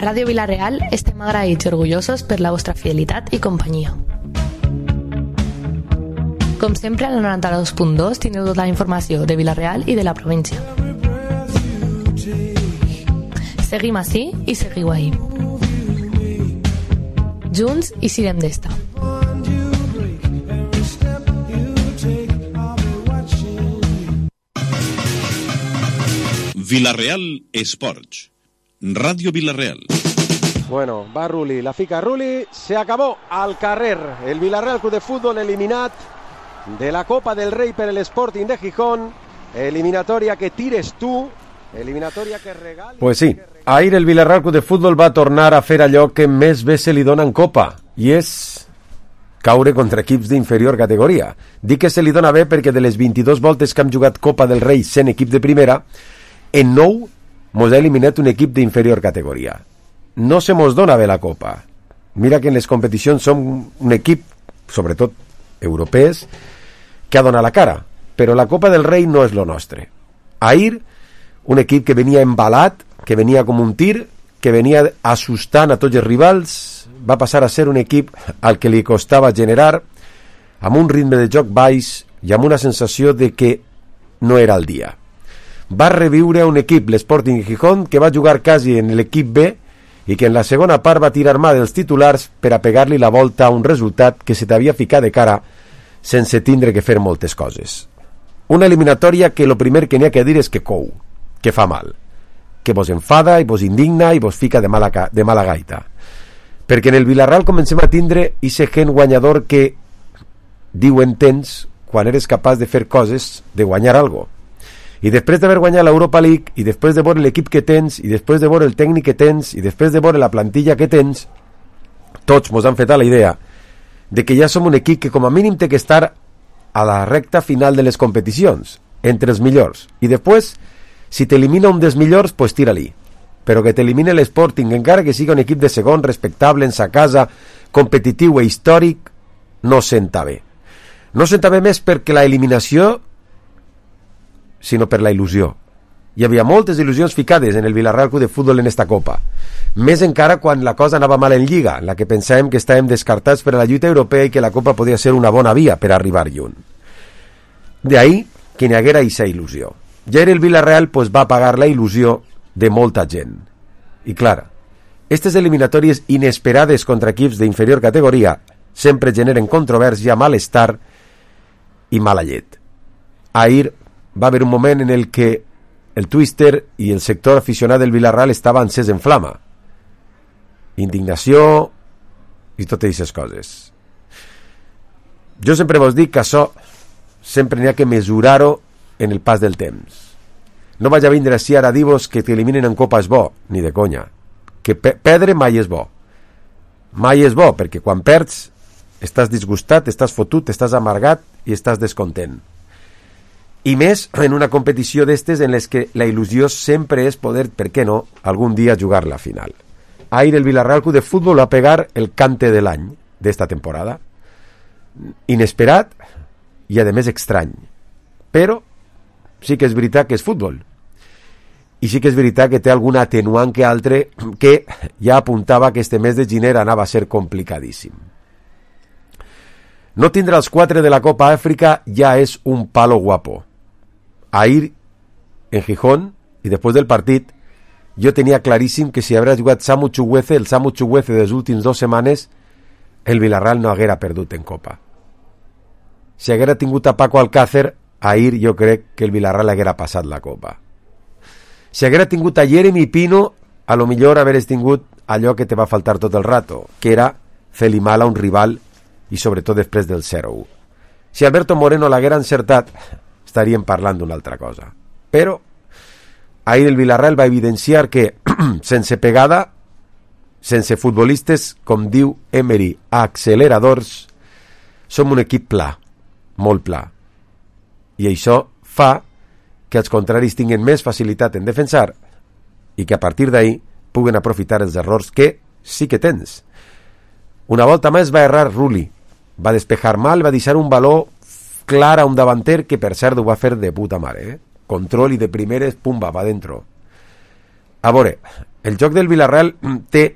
A Ràdio Vila-real estem agraïts i orgullosos per la vostra fidelitat i companyia. Com sempre, a la 92.2 tindreu tota la informació de Vila-real i de la província. Seguim ací i seguiu ahí. Junts i sirem d'esta. Vila-real Esports. Radio Vila-real. Bueno, va Rulli, la fica Rulli, se acabó al carrer. El Vila-real Club de Fútbol eliminat de la Copa del Rei per el Sporting de Gijón. Eliminatòria que tires tu, eliminatòria que regali... Pues sí, ahir el Vila-real Club de Fútbol va tornar a fer allò que més bé se li dona en Copa, i és caure contra equips d'inferior categoria. Dic que se li dona bé perquè de les 22 voltes que hem jugat Copa del Rei sent equip de primera, en 9 mos ha eliminat un equip d'inferior categoria. No se mos dona bé la Copa. Mira que en les competicions som un equip, sobretot europees, que ha donat la cara, però la Copa del Rei no és lo nostre. Ahir, un equip que venia embalat, que venia com un tir, que venia assustant a tots els rivals, va passar a ser un equip al que li costava generar, amb un ritme de joc baix i amb una sensació de que no era el dia. Va reviure un equip, l'Sporting Gijón, que va jugar quasi en l'equip B i que en la segona part va tirar mà dels titulars per a pegar-li la volta a un resultat que se t'havia ficat de cara sense tindre que fer moltes coses. Una eliminatòria que lo primer que n'hi ha que dir és que cou, que fa mal, que vos enfada i vos indigna i vos fica de mala gaita. Perquè en el Vila-real comencem a tindre ese gen guanyador que diuen tens quan eres capaç de fer coses, de guanyar algo. I després d'haver guanyat l'Europa League, i després de veure l'equip que tens, i després de veure el tècnic que tens, i després de veure la plantilla que tens, tots mos han fet a la idea de que ja som un equip que com a mínim té que estar a la recta final de les competicions, entre els millors. I després, si t'elimina un dels millors, pues tira-li. Però que t'elimine l'Sporting, encara que sigui un equip de segon, respectable, en sa casa, competitiu i històric, no senta bé. No senta bé més perquè la eliminació, sinó per la il·lusió. Hi havia moltes il·lusions ficades en el Vila-real Club de Fútbol en esta Copa. Més encara quan la cosa anava mal en Lliga, en la que pensàvem que estàvem descartats per a la lluita europea i que la Copa podia ser una bona via per arribar lluny. D'ahí que n'hi haguera aquesta il·lusió. Ja era el Vila-real pues, va pagar la il·lusió de molta gent. I clar, aquestes eliminatòries inesperades contra equips d'inferior categoria sempre generen controvèrsia, malestar i mala llet. Ahir va haver un moment en el que el Twister i el sector aficionat del Vila-real estava encès en flama. Indignació i totes aquestes coses. Jo sempre vos dic que això sempre n'hi ha que mesurar-ho en el pas del temps. No vaig a vindre així ara a dir-vos que t'eliminen en Copa és bo, ni de conya. Que perdre mai és bo. Mai és bo, perquè quan perds estàs disgustat, estàs fotut, estàs amargat i estàs descontent. I més en una competició d'estes en les que la il·lusió sempre és poder, per què no, algun dia jugar la final. Ahir el Vila-real Club de Fútbol va pegar el cante de l'any d'esta temporada. Inesperat i a més estrany. Però sí que és veritat que és futbol. I sí que és veritat que té alguna atenuant que altre que ja apuntava que este mes de gener anava a ser complicadíssim. No tindre els 4 de la Copa Àfrica ja és un palo guapo. Ahir, en Gijón, i després del partit, jo tenia claríssim que si haguera jugat Samu Chukwueze, el Samu Chukwueze de les últimes 2 setmanes, el Vila-real no haguera perdut en Copa. Si haguera tingut a Paco Alcácer, ahir jo crec que el Vila-real haguera passat la Copa. Si haguera tingut a Jeremy Pino, a lo millor hagueres tingut allò que te va faltar tot el rato, que era fer-li mal a un rival i sobretot després del 0-1. Si Alberto Moreno l'haguera encertat, estaríem parlant d'una altra cosa. Però ahir el Vila-real va evidenciar que sense pegada, sense futbolistes, com diu Emery, acceleradors, som un equip pla, molt pla. I això fa que els contraris tinguin més facilitat en defensar i que a partir d'ahí puguen aprofitar els errors que sí que tens. Una volta més va errar Rulli, va despejar mal, va deixar un baló clar a un davanter que per cert ho va fer de puta mare, Control i de primeres, pumba, va dentro. A veure, el joc del Villarreal té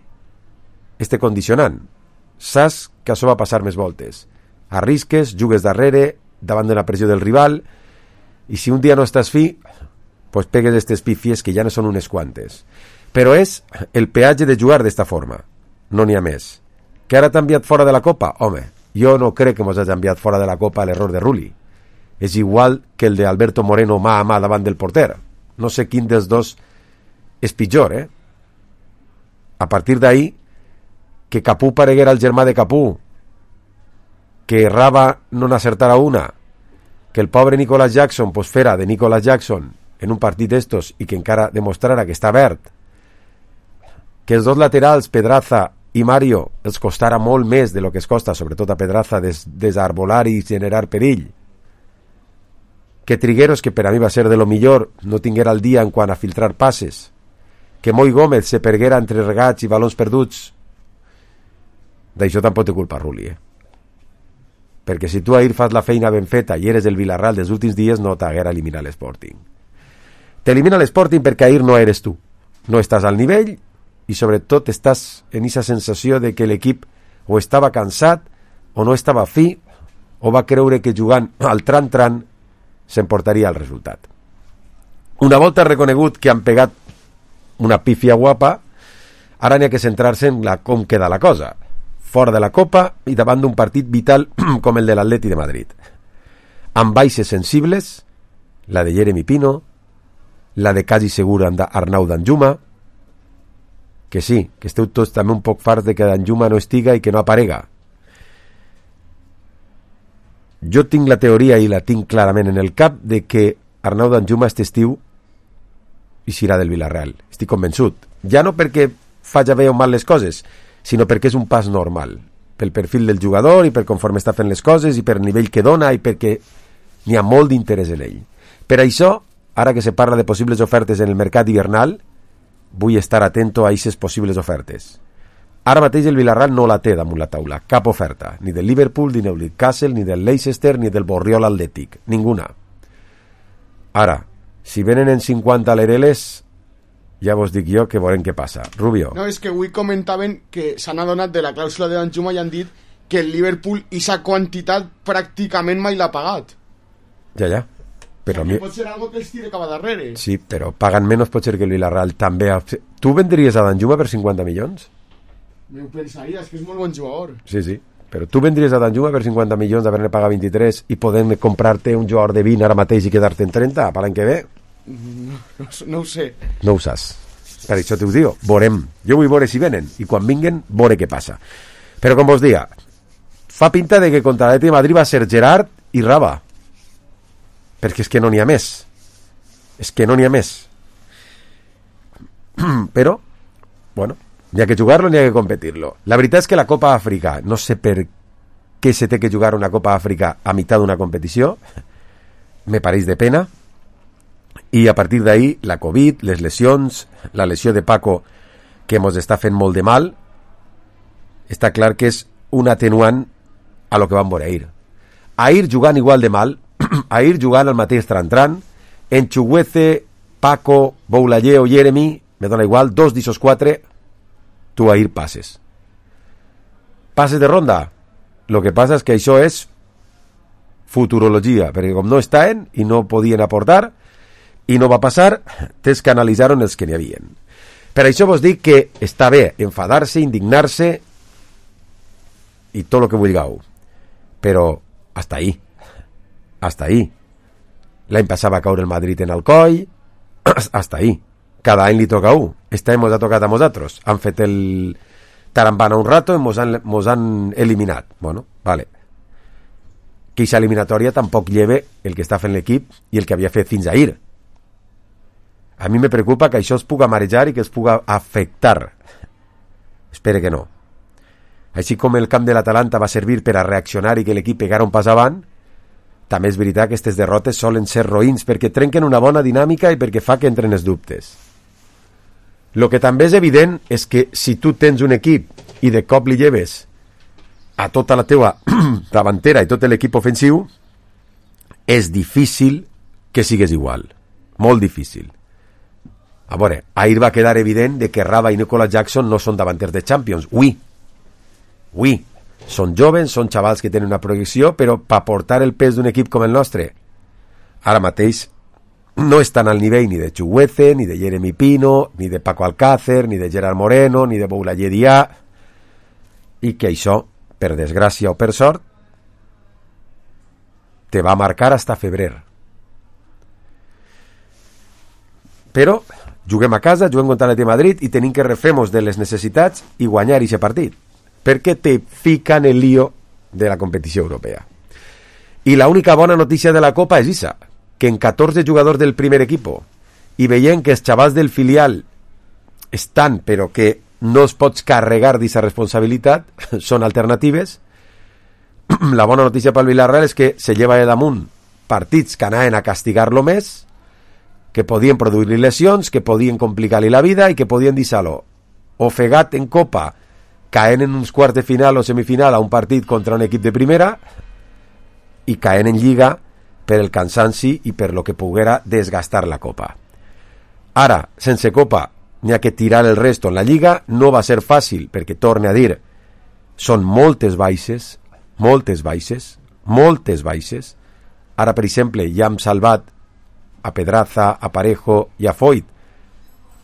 este condicionant. Saps que això va passar més voltes. Arrisques, jugues darrere, davant de la pressió del rival, i si un dia no estàs fi, pues pegues estes pífies que ja no són unes quantes. Però és el peatge de jugar d'esta forma. No n'hi ha més. Que ara t'ha enviat fora de la Copa? Home, jo no crec que mos hagi enviat fora de la Copa l'error de Rulli. És igual que el de Alberto Moreno mà a mà davant del porter. No sé quin dels dos és pitjor, A partir d'ahí, que Capú pareguera el germà de Capú, que Raba no n'acertara una, que el pobre Nicolas Jackson pues fera de Nicolas Jackson en un partit d'estos i que encara demostrara que està verd, que els dos laterals, Pedraza i Mario, els costara molt més de lo que es costa, sobretot a Pedraza, desarbolar i generar perill, que Trigueros, que per a mi va ser de lo millor, no tinguera el dia en quant a filtrar passes, que Moi Gómez se perguera entre regats i balons perduts. D'això tampoc té culpa Rulli, perquè si tu ahir fas la feina ben feta i eres el Villarreal dels últims dies, no t'haguera eliminat l'Sporting. T'elimina l'Sporting perquè ahir no eres tu, no estàs al nivell i sobretot estàs en aquesta sensació de que l'equip o estava cansat o no estava fi o va creure que jugant al tran-tran s'emportaria el resultat. Una volta reconegut que han pegat una pífia guapa, ara n'hi ha que centrar-se en com queda la cosa, fora de la Copa i davant d'un partit vital com el de l'Atleti de Madrid, amb baixes sensibles, la de Jeremy Pino, la de quasi segur Arnau Danjuma, que sí, que esteu tots també un poc farts de que Danjuma no estiga i que no aparega. Jo tinc la teoria i la tinc clarament en el cap de que Arnau Danjuma este estiu i serà del Villarreal, estic convençut, ja no perquè faci bé o mal les coses, sinó perquè és un pas normal, pel perfil del jugador i per conforme està fent les coses i per el nivell que dona i perquè n'hi ha molt d'interès en ell. Per això, ara que se parla de possibles ofertes en el mercat hivernal, vull estar atento a aquestes possibles ofertes. Ara mateix el Villarreal no la té damunt la taula, cap oferta, ni del Liverpool, ni del Newcastle, ni del Leicester, ni del Borriol Atlètic, ninguna. Ara, si venen en 50 l'Ereles, ja vos dic jo que veurem què passa. Rubio. No, és que avui comentaven que s'han adonat de la clàusula de Danjuma i han dit que el Liverpool aquesta quantitat pràcticament mai l'ha pagat. Ja. Però o sigui, pot ser algo que els tire cap a darrere. Sí, però pagant menys pot ser que el Villarreal també... Tu vendries a Danjuma per 50 milions? M'ho pensaria, és que és molt bon jugador. Sí, però tu vendries a Danjuma per 50 milions d'haver-ne pagat 23 i podem comprar-te un jugador de 20 ara mateix i quedar-te en 30 per l'any que ve? No ho sé. No ho saps. Per això t'ho dic, veurem. Jo vull veure si venen i quan vinguen, veure què passa. Però com vos diga, fa pinta de que contra l'Atlètic de Madrid va ser Gerard i Raba, perquè és que no n'hi ha més. Però, bueno, n'hi ha que jugar-lo, n'hi ha que competir-lo. La veritat és que la Copa Àfrica, no sé per què se té que jugar una Copa Àfrica a meitat d'una competició, me pareix de pena. I a partir d'ahí, la Covid, les lesions, la lesió de Paco, que mos està fent molt de mal, està clar que és un atenuant a lo que vam veure ahir. Ahir jugant igual de mal, ahir jugant al mateix tran-tran, en Chuguece, Paco, Boulaye o Jeremy, me dona igual, 2 d'ixos 4, tu ahir passes. Passes de ronda. Lo que passa és que això és futurologia, perquè com no estaven i no podien aportar, i no va passar, tens que analitzar-ho els que n'hi havien. Per això vos dic que està bé enfadar-se, indignar-se i tot el que vulgueu, però hasta ahí. L'any passat va caure el Madrid en Alcoi, hasta ahí. Cada any li toca a un. Este any mos ha tocat a nosaltres. Han fet el tarambana un rato i mos han eliminat. Bueno, vale. Que aquesta eliminatòria tampoc lleve el que està fent l'equip i el que havia fet fins ahir. A mi me preocupa que això es puga marejar i que es puga afectar. Espero que no. Així com el camp de l'Atalanta va servir per a reaccionar i que l'equip pegara un pas avant, també és veritat que aquestes derrotes solen ser roïns perquè trenquen una bona dinàmica i perquè fa que entren els dubtes. El que també és evident és que si tu tens un equip i de cop li lleves a tota la teua davantera i tot l'equip ofensiu, és difícil que sigues igual. Molt difícil. A veure, ahir va quedar evident de que Raba i Nicolas Jackson no són davanters de Champions. Oui. Són joves, són xavals que tenen una projecció, però per portar el pes d'un equip com el nostre, ara mateix no estan al nivell ni de Chukwueze, ni de Jeremy Pino, ni de Paco Alcácer, ni de Gerard Moreno, ni de Boulaye Dia, i que això, per desgràcia o per sort, te va marcar hasta febrer. Però juguem a casa, juguem contra l'Atlètic de Madrid i tenim que refer-nos de les necessitats i guanyar aquest partit, perquè te fica en el lío de la competició europea. I l'única bona notícia de la Copa és esa, que en 14 jugadors del primer equipo i veient que els xavals del filial estan però que no els pots carregar d'aquesta responsabilitat, són alternatives. La bona notícia pel Villarreal és que se lleva de damunt partits que anaven a castigar-lo més, que podien produir-li lesions, que podien complicar-li la vida i que podien deixar-lo ofegat en Copa, caent en uns quarts de final o semifinal a un partit contra un equip de primera i caent en Lliga per el cansanci i per lo que poguera desgastar la Copa. Ara, sense Copa, n'hi ha que tirar el resto en la Lliga. No va ser fàcil, perquè, torne a dir, són moltes baixes. Ara, per exemple, ja hem salvat a Pedraza, a Parejo i a Foyt,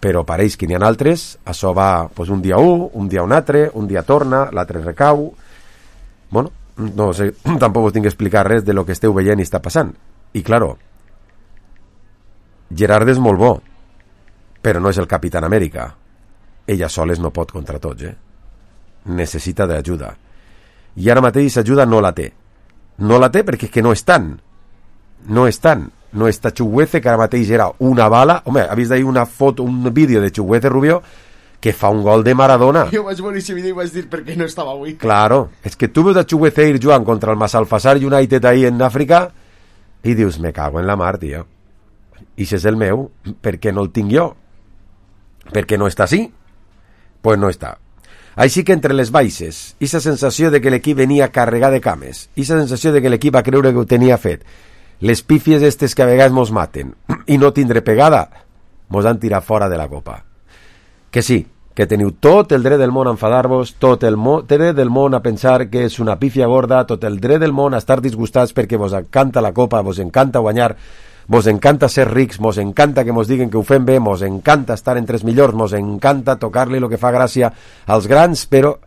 però pareix que n'hi ha altres. Això va un dia un dia un altre, un dia torna, l'altre recau. Bueno, no sé, tampoc us tinc que explicar res de lo que esteu veient i està passant. I claro, Gerard és molt bo, però no és el Capitán Amèrica. Ella soles no pot contra tots, necessita d'ajuda. I ara mateix ajuda no la té perquè és que no estan. No està Chukwueze, que ara mateix era una bala. Home, ha vist ahir una foto, un vídeo de Chukwueze Rubio que fa un gol de Maradona. Jo vaig veure aquest vídeo i vaig dir per què no estava avui. Claro, és que tu veus a Chukwueze ir jugant contra el Masalfasar United ahí en Àfrica i dius, me cago en la mar, tio. I si és el meu, per què no el tinc jo? Per què no està així? Pues no està. Així que entre les baixes, i la sensació de que l'equip venia carregat de cames, i la sensació de que l'equip va creure que ho tenia fet, les pífies estes que a vegades mos maten, i no tindre pegada, mos han tirat fora de la Copa. Que sí, que teniu tot el dret del món a enfadar-vos, tot el dret del món a pensar que és una pífia gorda, tot el dret del món a estar disgustats perquè vos encanta la Copa, vos encanta guanyar, vos encanta ser rics, mos encanta que mos diguen que ho fem bé, mos encanta estar entre els millors, mos encanta tocar-li el que fa gràcia als grans, però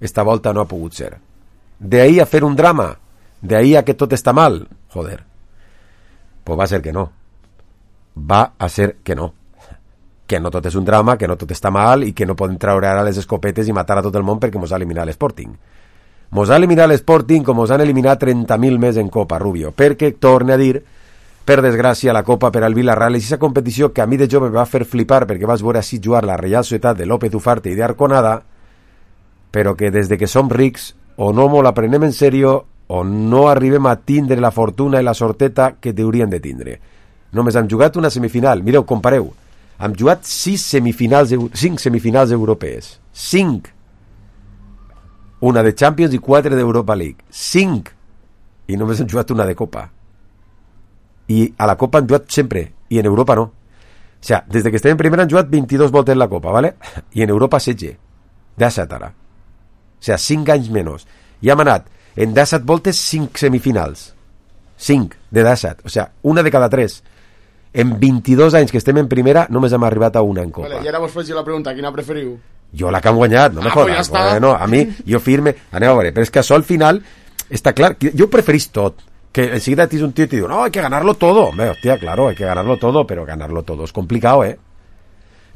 esta volta no ha pogut ser. D'ahí a fer un drama, d'ahí a que tot està mal, joder, pues va ser que no. Va a ser que no. Que no tot és un drama, que no tot està mal i que no podem treure ara les escopetes i matar a tot el món perquè mos ha eliminat l'Sporting. Mos ha eliminat l'Sporting com mos han eliminat 30.000 més en Copa, Rubio, perquè, torne a dir, per desgràcia, la Copa per al Villarreal és aquesta competició que a mi de jove me va fer flipar perquè vas veure així jugar la Reial Societat de López Ufarte i d'Arconada, però que des de que som rics o no mos la prenem en sèrio o no arribem a tindre la fortuna i la sorteta que t'haurien de tindre. Només hem jugat una semifinal. Mireu, compareu. Hem jugat 5 semifinals europees. 5. Una de Champions i 4 d'Europa League. 5. I només hem jugat una de Copa. I a la Copa hem jugat sempre. I en Europa no. O sea, des que estem en primera hem jugat 22 voltes la Copa, ¿vale? I en Europa 16. 17 ara. O sea, 5 anys menys. I hem anat en 17 voltes 5 semifinals. 5 de 17. O sea, una de cada 3. En 22 anys que estem en primera només hem arribat a una en Copa. Vale, i ara vos faig la pregunta, quina preferiu? Jo la que hem guanyat, no me jodas. Pues ja bueno, a mi, jo firme, anem a veure, però és que això al final està clar, jo preferís tot, que enseguida tens un tio i te diu, no, hay que ganarlo todo. Hombre, hostia, claro, hay que ganarlo todo, pero ganarlo todo es complicado,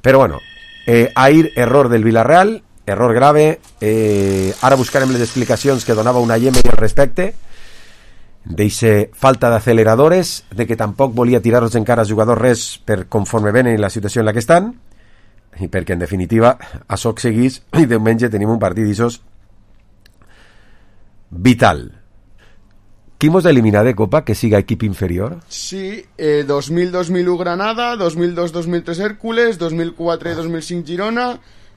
Pero bueno, ahir, error del Villarreal, error grave, ara buscarem les explicacions que donava una Yemeni al respecte, d'eixe falta d'aceleradores, de que tampoc volia tirar-los encara als jugadors res per conforme venen i la situació en la que estan, i perquè en definitiva això seguís i diumenge tenim un partit d'aixòs vital. Qui mos ha eliminat de Copa que siga equip inferior? Sí, 2000-2001 Granada, 2002-2003 Hércules, 2004-2005 Girona,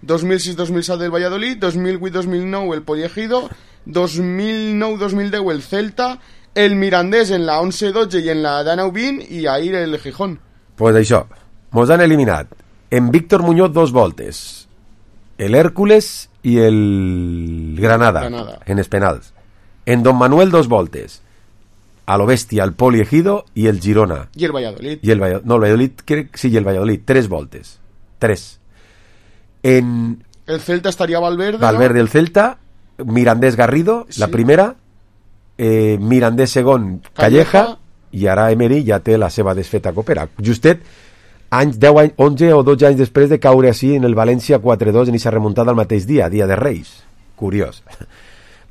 2006-2007 del Valladolid, 2008-2009 el Pollejido, 2009-2010 el Celta, el Mirandés en la 11-12 i en la 19-20 i ahir el Gijón. Pues això, mos han eliminat En Víctor Muñoz 2 voltes. El Hércules y el Granada. En els penals. En Don Manuel 2 voltes. A lo bestia, el Poli Ejido y el Girona. Y el Valladolid. Y el Valladolid, sí, y el Valladolid. 3 voltes. 3. En... El Celta estaría Valverde. Valverde, ¿no? El Celta. Mirandés Garrido, sí. La primera. Mirandés segon, Calleja. I ara Emery ja té la seva desfeta copera. Justet, 11 o 12 anys després de caure així en el València 4-2 en aquesta remuntada al mateix dia de Reis. Curiós.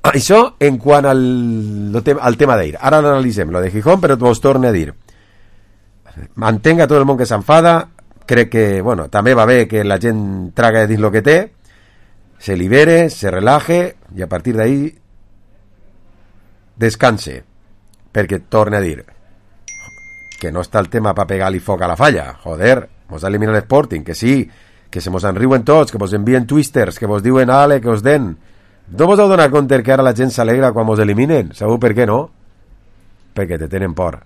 Això en quant al tema d'ahir. Ara l'analitzem, lo de Gijón, però vos torne a dir. Entenc a tot el món que s'enfada, crec que, bueno, també va bé que la gent traga dins lo que té, se libere, se relaje, i a partir d'ahí descanse, perquè torne a dir que no està el tema per pegar-li foc a la falla. Joder, mos ha eliminat l'Sporting, que sí, que se mos enriuen tots, que vos envien twisters, que vos diuen ale, que us den. No vos heu donat compte que ara la gent s'alegra quan mos eliminen? Sabeu per què no? Perquè te tenen por.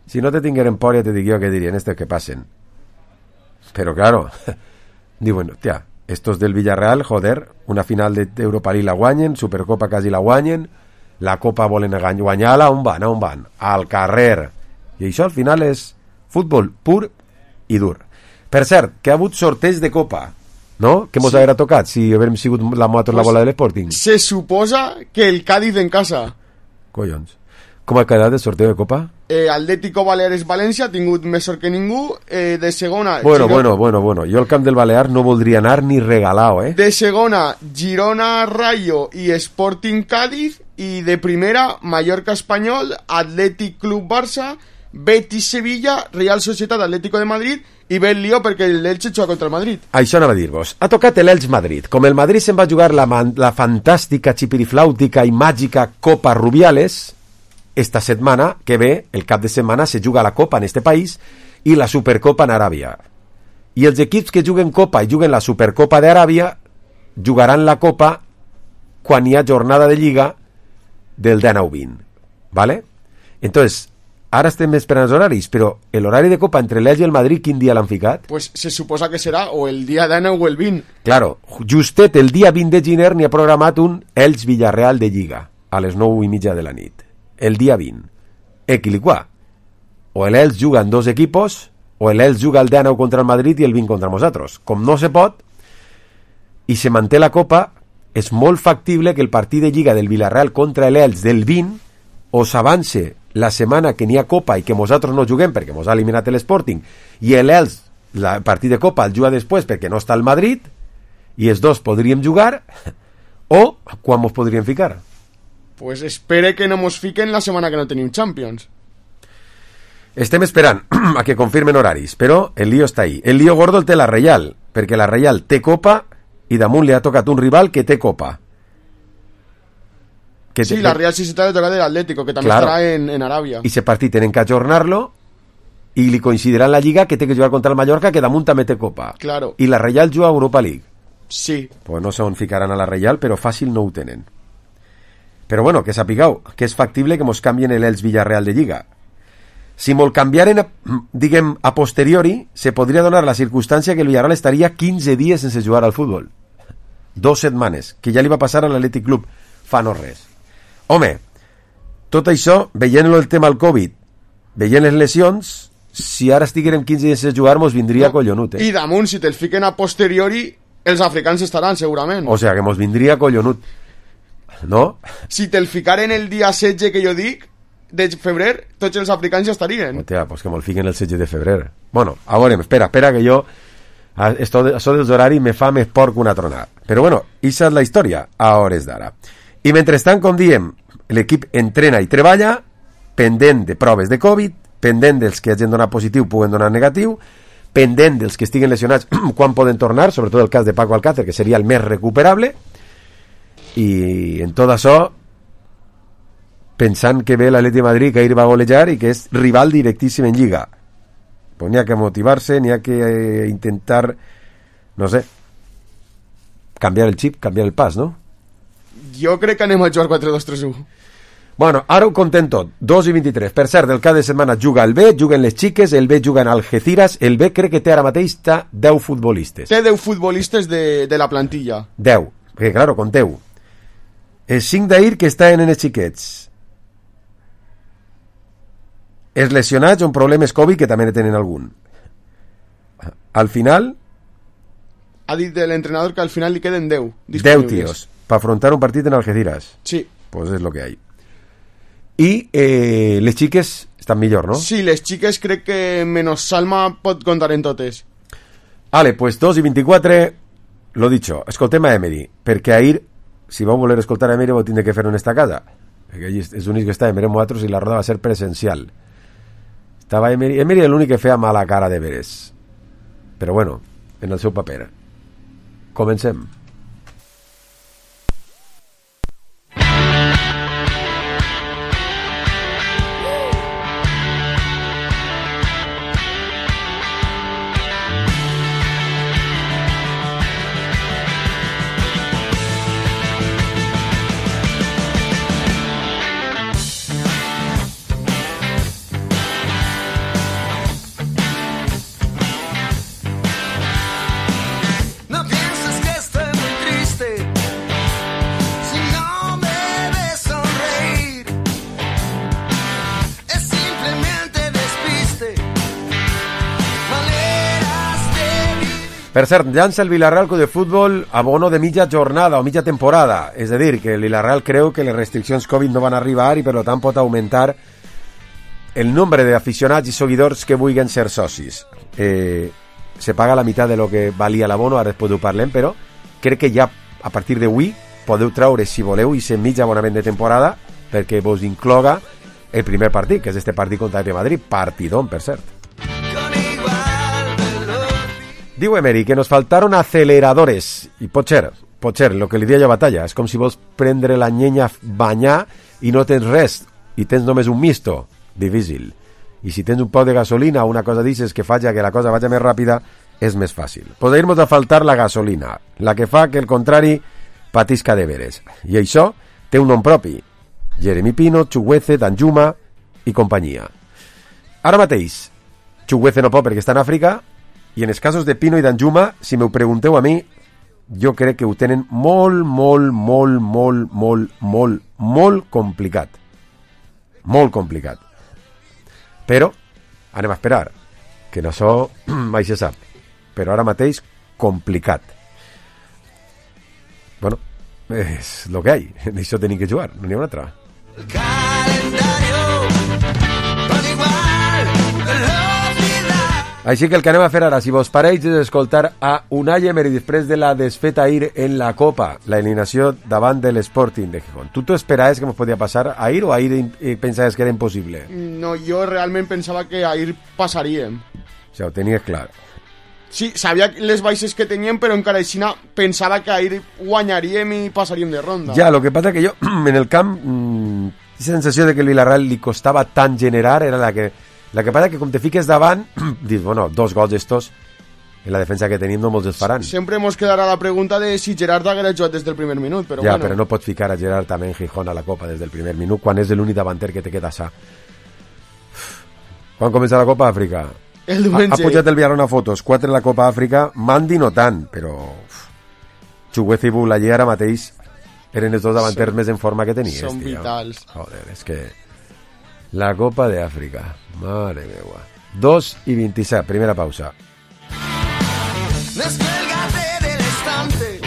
Si no te tingueren por, ja te dic jo que dirien estos que passen. Però claro, diuen, hòstia, estos del Villarreal, joder, una final d'Europa League la guanyen, Supercopa quasi la guanyen, la Copa volen guanyar-la, on van? Al carrer. I això al final és futbol pur i dur. Per cert, que ha hagut sorteig de Copa, no? Que mos haguera tocat si haguem sigut la bola de l'Sporting. Se suposa que el Cádiz en casa. Collons. Com ha quedat el sorteo de Copa? Atlético Baleares València ha tingut més sort que ningú. De segona... Bueno. Jo al camp del Balear no voldria anar ni regalado, De segona, Girona Rayo i Sporting Cádiz. I de primera, Mallorca Espanyol, Atlètic Club Barça, Betis Sevilla, Real Societat Atlético de Madrid i ve el lío perquè l'Elche juga contra el Madrid. Això anava a dir-vos. Ha tocat l'Elche Madrid. Com el Madrid se'n va jugar la fantàstica, xipiriflàutica i màgica Copa Rubiales, esta setmana que ve, el cap de setmana, se juga la Copa en este país i la Supercopa en Aràbia. I els equips que juguen Copa i juguen la Supercopa d'Aràbia jugaran la Copa quan hi ha jornada de Lliga del 19-20, ¿vale? Entonces, ara estem esperant els horaris, però l'horari de Copa entre l'Elche i el Madrid, quin dia l'han ficat? Pues se suposa que serà o el dia 19 o el 20. Claro, justet el dia 20 de gener n'hi ha programat un Elche Villarreal de Lliga, a les 9:30 de la nit. El dia 20. Equiliquà. O l'Elche juga en dos equipos, o l'Elche juga el 19 contra el Madrid i el 20 contra nosaltres. Com no se pot, i se manté la Copa, és molt factible que el partit de Lliga del Villarreal contra l'Elche del 20 o s'avance la setmana que n'hi ha Copa i que nosaltres no juguem perquè mos ha eliminat l'Sporting i l'Elche, el partit de Copa el juga després perquè no està al Madrid i els dos podríem jugar o quan mos podríem ficar? Pues espere que no mos fiquen la setmana que no tenim Champions. Estem esperant a que confirmen horaris, però el lío està ahí. El lío gordo el té la Reial, perquè la Reial té Copa i damunt li ha tocat un rival que té Copa. Sí, la Real Societat le toca del Atlético, que també estarà en Aràbia. I aquest partit tenen que ajornar-lo i li coincidirà en la Lliga que té que jugar contra el Mallorca, que damunt també té Copa. Claro. I la Reial juga a Europa League. Sí. Pues no sé on ficaran a la Reial, però fàcil no ho tenen. Però bueno, que sapigueu que és factible que mos canvien l'Elche Villarreal de Lliga. Si mos canviaren, diguem, a posteriori, se podria donar la circumstància que el Villarreal estaria 15 dies sense jugar al futbol. 2 setmanes, que ja li va passar a l'Atlètic Club fa no res. Home, tot això, veient-lo el tema al Covid, veient les lesions, si ara estiguérem 15 dies sense jugar, mos vindria collonut, I damunt, si te'l fiquen a posteriori, els africans estaran, segurament. O sea, que mos vindria collonut. No? Si te'l ficaren el dia 16 que jo dic, de febrer, tots els africans ja estarien. Hòstia, pues que me'l fiquen el 16 de febrer. Bueno, a veure, espera que jo això dels horaris me fa més por que una tronada. Però bueno, això és la història a hores d'ara. I mentrestant, com diem, l'equip entrena i treballa, pendent de proves de Covid, pendent dels que hagin donat positiu puguen donar negatiu, pendent dels que estiguen lesionats quan poden tornar, sobretot el cas de Paco Alcácer, que seria el més recuperable, i en tot això pensant que ve l'Atlètic de Madrid, que ahir va golejar i que és rival directíssim en Lliga. Pues n'hi ha que motivar-se, n'hi ha que intentar, no sé, canviar el xip, canviar el pas, no? Jo crec que anem a jugar 4-2-3-1. Bueno, ara ho contem tot. 2:23. Per cert, el cap de setmana juga el B, juguen les xiques, el B juga en Algeciras, el B crec que té ara mateix 10 futbolistes. Té 10 futbolistes de la plantilla. 10, perquè claro, conteu. Els 5 d'ahir que estaven en els xiquets. Els lesionats amb problemes Covid, que també ne tenen algun. Al final... Ha dit l'entrenador que al final li queden 10 disponibles. 10 tios, para afrontar un partit en Algeciras. Sí. Pues es lo que hay. I les xiques estan millor, no? Sí, les xiques crec que menys Salma pot comptar en totes. Vale, pues 2:24, lo dicho, escoltem a Emery, perquè ahir, si vau voler escoltar a Emery, vau tindre que fer-ho en esta casa, perquè ell és l'únic que estava, mirem nosaltres, i la roda va ser presencial. Estava Emery és l'únic que feia mala cara de veres, però bueno, en el seu paper. Comencem. Per cert, llança el Villarreal Club de Futbol a bono de mitja jornada o mitja temporada. És a dir, que el Villarreal creu que les restriccions Covid no van arribar i per tant pot augmentar el nombre d'aficionats i seguidors que vulguin ser socis. Se paga la meitat de lo que valia l'abono, ara després ho parlem, però crec que ja a partir d'avui podeu traure, si voleu, i ser mitja abonament de temporada perquè vos incloga el primer partit, que és este partit contra el Madrid, partidón, per cert. Diu Emery que nos faltaron aceleradores i pot ser, lo que li deia jo a Batalla, és com si vols prendre la llenya, banyar i no tens res, i tens només un misto, difícil. I si tens un poc de gasolina o una cosa d'aixes que faci que la cosa vagi més ràpida, és més fàcil. Podríem a faltar la gasolina, la que fa que el contrari patisca de veres. I això té un nom propi, Jeremy Pino, Chukwueze, Danjuma i companyia. Ara mateix, Chukwueze no pot perquè està en Àfrica, i en els casos de Pino i Danjuma, si m'ho pregunteu a mi, jo crec que ho tenen molt complicat. Molt complicat. Però anem a esperar, que no so mai se sap. Però ara mateix, complicat. Bueno, és el que hi ha. D'això tenim que jugar, no n'hi ha una altra. El calendario, tot igual, així que el que anem a fer ara, si vos pareix, és escoltar a Unai Emery després de la desfeta ahir en la Copa, la eliminació davant de l'Sporting de Gijón. Tu t'ho esperaves que ens podia passar ahir o ahir pensaves que era impossible? No, jo realment pensava que ahir passaríem. O sigui, ho tenies clar. Sí, sabia les baixes que teníem, però encara així pensava que ahir guanyaríem i passaríem de ronda. Ja, lo que passa que jo, en el camp, la sensació de que el Villarreal li costava tant generar era la que passa que com te fiques davant, dius, bueno, 2 gols estos en la defensa que tenim no molts els faran. Sempre ens quedarà la pregunta de si Gerard haguera jugat des del primer minut, però ja, bueno. Però no pots ficar a Gerard també en Gijón a la Copa des del primer minut, quan és l'únic davanter que te queda sa. Quan comença la Copa Àfrica? El diumenge. Ha pujat el Villarreal a fotos, 4 en la Copa Àfrica, Mandi no tant, però Chukwueze i Boulaye ara mateix eren els dos davanters més en forma que tenies. Són vitals. Joder, és que la Copa de Àfrica, mare meva. 2:27, primera pausa. Descuélgate del estante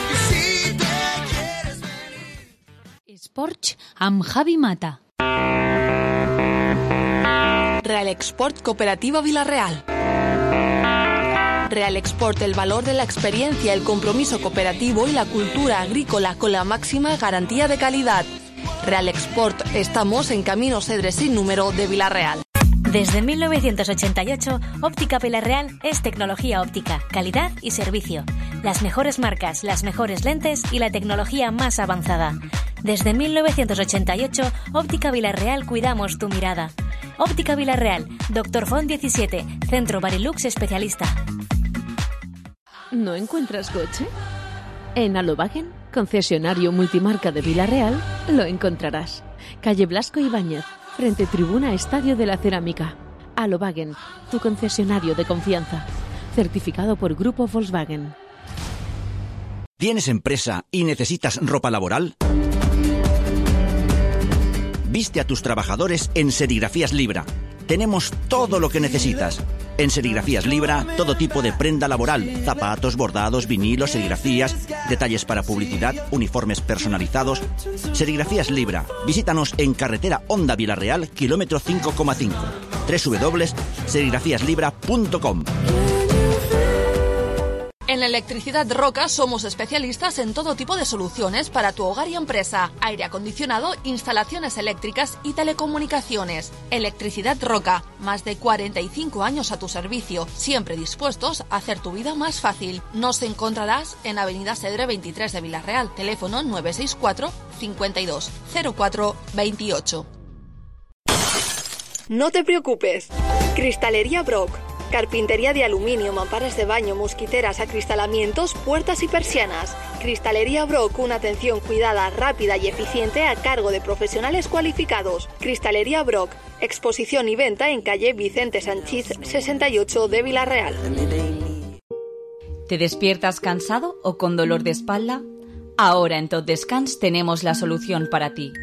y si te quieres venir. Esports amb Javi Mata. Real Export Cooperativa Villarreal. Real Export, el valor de la experiencia, el compromiso cooperativo y la cultura agrícola con la máxima garantía de calidad. Real Export, estamos en Camino Cedres sin número de Villarreal. Desde 1988, Óptica Villarreal es tecnología óptica, calidad y servicio. Las mejores marcas, las mejores lentes y la tecnología más avanzada. Desde 1988, Óptica Villarreal cuidamos tu mirada. Óptica Villarreal, Dr. Font 17, Centro Barilux Especialista. ¿No encuentras coche? En Alobagen, concesionario multimarca de Villarreal, lo encontrarás. Calle Blasco Ibáñez, frente tribuna Estadio de la Cerámica. Alowagen, tu concesionario de confianza. Certificado por Grupo Volkswagen. ¿Tienes empresa y necesitas ropa laboral? Viste a tus trabajadores en Serigrafías Libra. Tenemos todo lo que necesitas. En Serigrafías Libra, todo tipo de prenda laboral, zapatos, bordados, vinilos, serigrafías, detalles para publicidad, uniformes personalizados. Serigrafías Libra. Visítanos en carretera Honda Villarreal, kilómetro 5,5. www.serigrafiaslibra.com. En Electricidad Roca somos especialistas en todo tipo de soluciones para tu hogar y empresa. Aire acondicionado, instalaciones eléctricas y telecomunicaciones. Electricidad Roca, más de 45 años a tu servicio, siempre dispuestos a hacer tu vida más fácil. Nos encontrarás en Avenida Cedre 23 de Villarreal, teléfono 964 52 04 28. No te preocupes. Cristalería Brock. Carpintería de aluminio, mamparas de baño, mosquiteras, acristalamientos, puertas y persianas. Cristalería Brock, una atención cuidada, rápida y eficiente a cargo de profesionales cualificados. Cristalería Brock, exposición y venta en calle Vicente Sanchís 68 de Villarreal. ¿Te despiertas cansado o con dolor de espalda? Ahora en Tot Descans tenemos la solución para ti.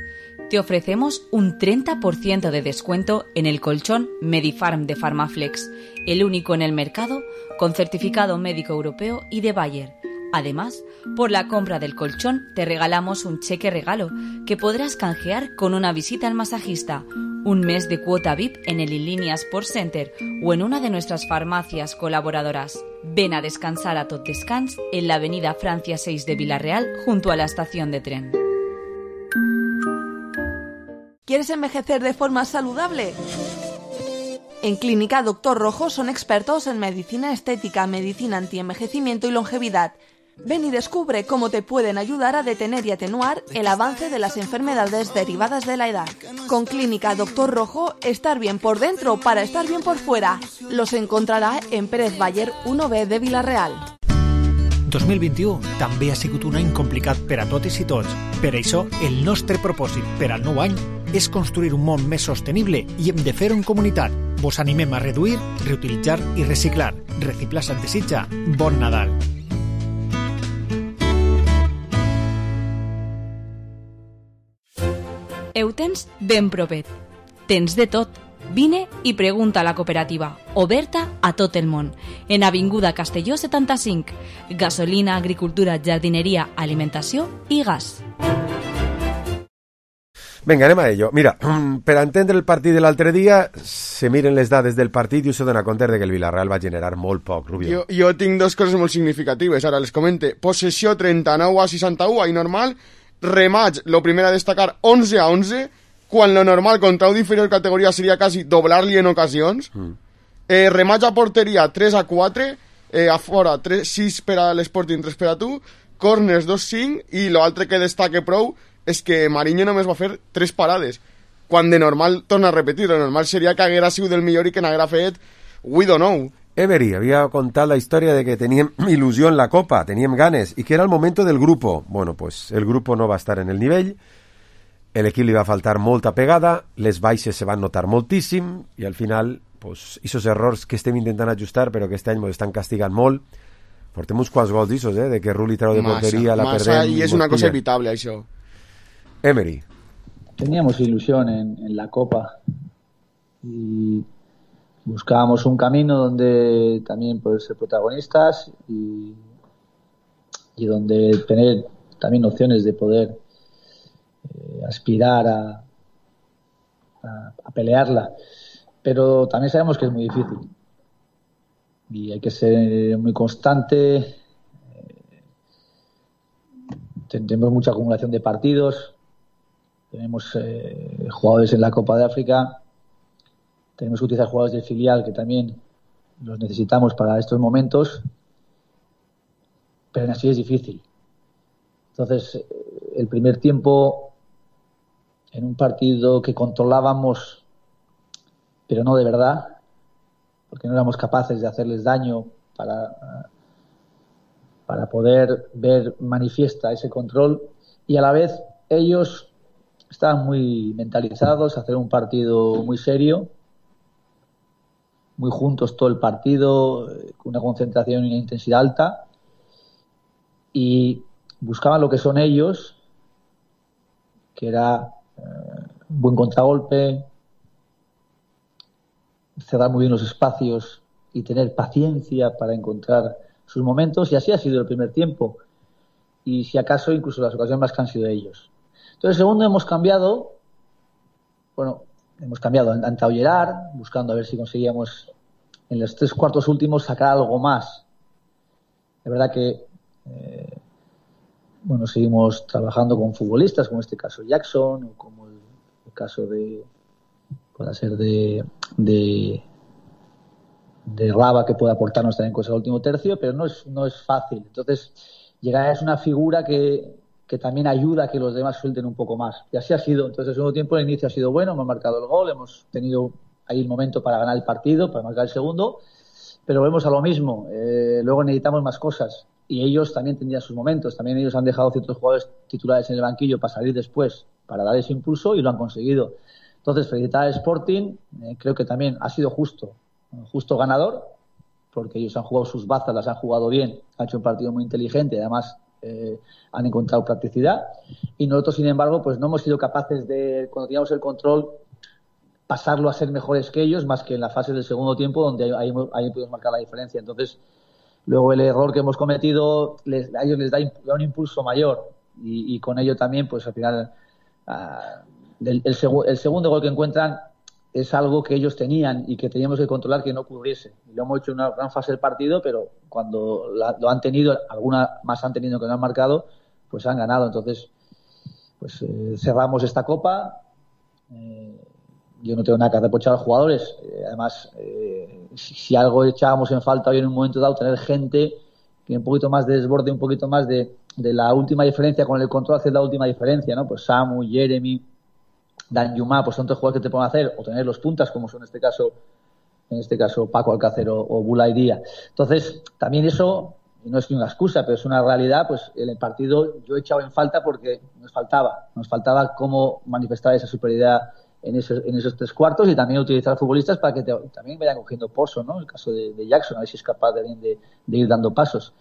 Te ofrecemos un 30% de descuento en el colchón Medifarm de Farmaflex, el único en el mercado con certificado médico europeo y de Bayer. Además, por la compra del colchón te regalamos un cheque regalo que podrás canjear con una visita al masajista, un mes de cuota VIP en el Inlínea Sport Center o en una de nuestras farmacias colaboradoras. Ven a descansar a Tot Descans en la avenida Francia 6 de Villarreal junto a la estación de tren. ¿Quieres envejecer de forma saludable? En Clínica Doctor Rojo son expertos en medicina estética, medicina antienvejecimiento y longevidad. Ven y descubre cómo te pueden ayudar a detener y atenuar el avance de las enfermedades derivadas de la edad. Con Clínica Doctor Rojo, estar bien por dentro para estar bien por fuera. Los encontrará en Pérez Bayer 1B de Villarreal. 2021 també ha sigut un any complicat per a totes i tots. Per això, el nostre propòsit per al nou any és construir un món més sostenible i hem de fer-ho en comunitat. Vos animem a reduir, reutilitzar i reciclar. Reciclar se't desitja. Bon Nadal! Eutens ben propet. Tens de tot. Vine i pregunta a la cooperativa, oberta a tot el món, en Avinguda Castelló 75, gasolina, agricultura, jardineria, alimentació i gas. Vinga, anem a ello. Mira, per entendre el partit de l'altre dia, se miren les dades del partit i us dona compte que el Villarreal va generar molt poc, Rubio. Jo tinc dos coses molt significatives, ara les comente. Possessió 39-61, ahí normal. Remats, lo primer a destacar, 11-11, quan lo normal contra un inferior categoria seria quasi doblar-li en ocasions. Remats a porteria 3-4, a fora 6 per a l'Sporting, 3 per a tu, corners 2-5, i l'altre que destaque prou és que Mariño només va fer 3 parades, quan de normal, torna a repetir, lo normal seria que haguera sigut el millor i que n'haguera fet we don't know. Emery havia contat la història de que teníem il·lusió en la Copa, teníem ganes, i que era el moment del grupo. Bueno, pues el grupo no va estar en el nivell, l'equip li va faltar molta pegada, les baixes se van notar moltíssim, i al final, pues, esos errors que estem intentant ajustar, però que este any ens estan castigant molt. Portem uns quants gols d'issos, de que Rulli trau de porteria, la perdem. I és una cosa evitable, això. Emery. Teníamos ilusión en la Copa y buscábamos un camino donde también poder ser protagonistas y donde tener también opciones de poder aspirar a pelearla, pero también sabemos que es muy difícil y hay que ser muy constante. Tenemos mucha acumulación de partidos, tenemos jugadores en la Copa de África, tenemos que utilizar jugadores del filial que también los necesitamos para estos momentos, pero aún así es difícil. Entonces, el primer tiempo, en un partido que controlábamos, pero no de verdad, porque no éramos capaces de hacerles daño para poder ver manifiesta ese control, y a la vez ellos estaban muy mentalizados a hacer un partido muy serio, muy juntos todo el partido, con una concentración y una intensidad alta, y buscaban lo que son ellos, que era buen contragolpe, cerrar muy bien los espacios y tener paciencia para encontrar sus momentos, y así ha sido el primer tiempo, y si acaso incluso las ocasiones más que han sido ellos. Entonces, el segundo hemos cambiado, han entrado Gerard, buscando a ver si conseguíamos en los 3 cuartos últimos sacar algo más. Es verdad que seguimos trabajando con futbolistas, como en este caso Jackson, o como el caso de Raba, que puede aportarnos también cosas al último tercio, pero no es fácil. Entonces, Gerard es una figura que también ayuda a que los demás suelten un poco más. Y así ha sido. Entonces, el segundo tiempo, el inicio ha sido bueno, hemos marcado el gol, hemos tenido ahí el momento para ganar el partido, para marcar el segundo, pero volvemos a lo mismo. Luego necesitamos más cosas, y ellos también tendrían sus momentos. También ellos han dejado ciertos jugadores titulares en el banquillo para salir después, para dar ese impulso, y lo han conseguido. Entonces, felicitar al Sporting, creo que también ha sido justo ganador, porque ellos han jugado sus bazas, las han jugado bien, han hecho un partido muy inteligente, además han encontrado practicidad, y nosotros, sin embargo, pues no hemos sido capaces de, cuando teníamos el control, pasarlo a ser mejores que ellos, más que en la fase del segundo tiempo, donde ahí pudimos marcar la diferencia. Entonces, luego el error que hemos cometido a ellos les da un impulso mayor, y con ello también, pues al final el segundo gol que encuentran es algo que ellos tenían y que teníamos que controlar que no ocurriese. Y lo hemos hecho en una gran fase del partido, pero cuando lo han tenido, alguna más han tenido que no han marcado, pues han ganado. Entonces, pues cerramos esta copa. Yo no tengo nada que reprochar a los jugadores. Además, si algo echábamos en falta hoy en un momento dado, tener gente que un poquito más de desborde, un poquito más de la última diferencia, con el control hacer la última diferencia, ¿no? Pues Samu, Jeremy, Danjuma, pues son 3 jugadores que te pueden hacer, o tener los puntas, como son en este caso Paco Alcácer o Bulay Díaz. Entonces, también eso no es una excusa, pero es una realidad. Pues en el partido yo he echado en falta porque nos faltaba cómo manifestar esa superioridad en esos 3 cuartos, y también utilizar futbolistas para que también vayan cogiendo pozo, ¿no? El caso de Jackson, a ver si es capaz de ir dando pasos.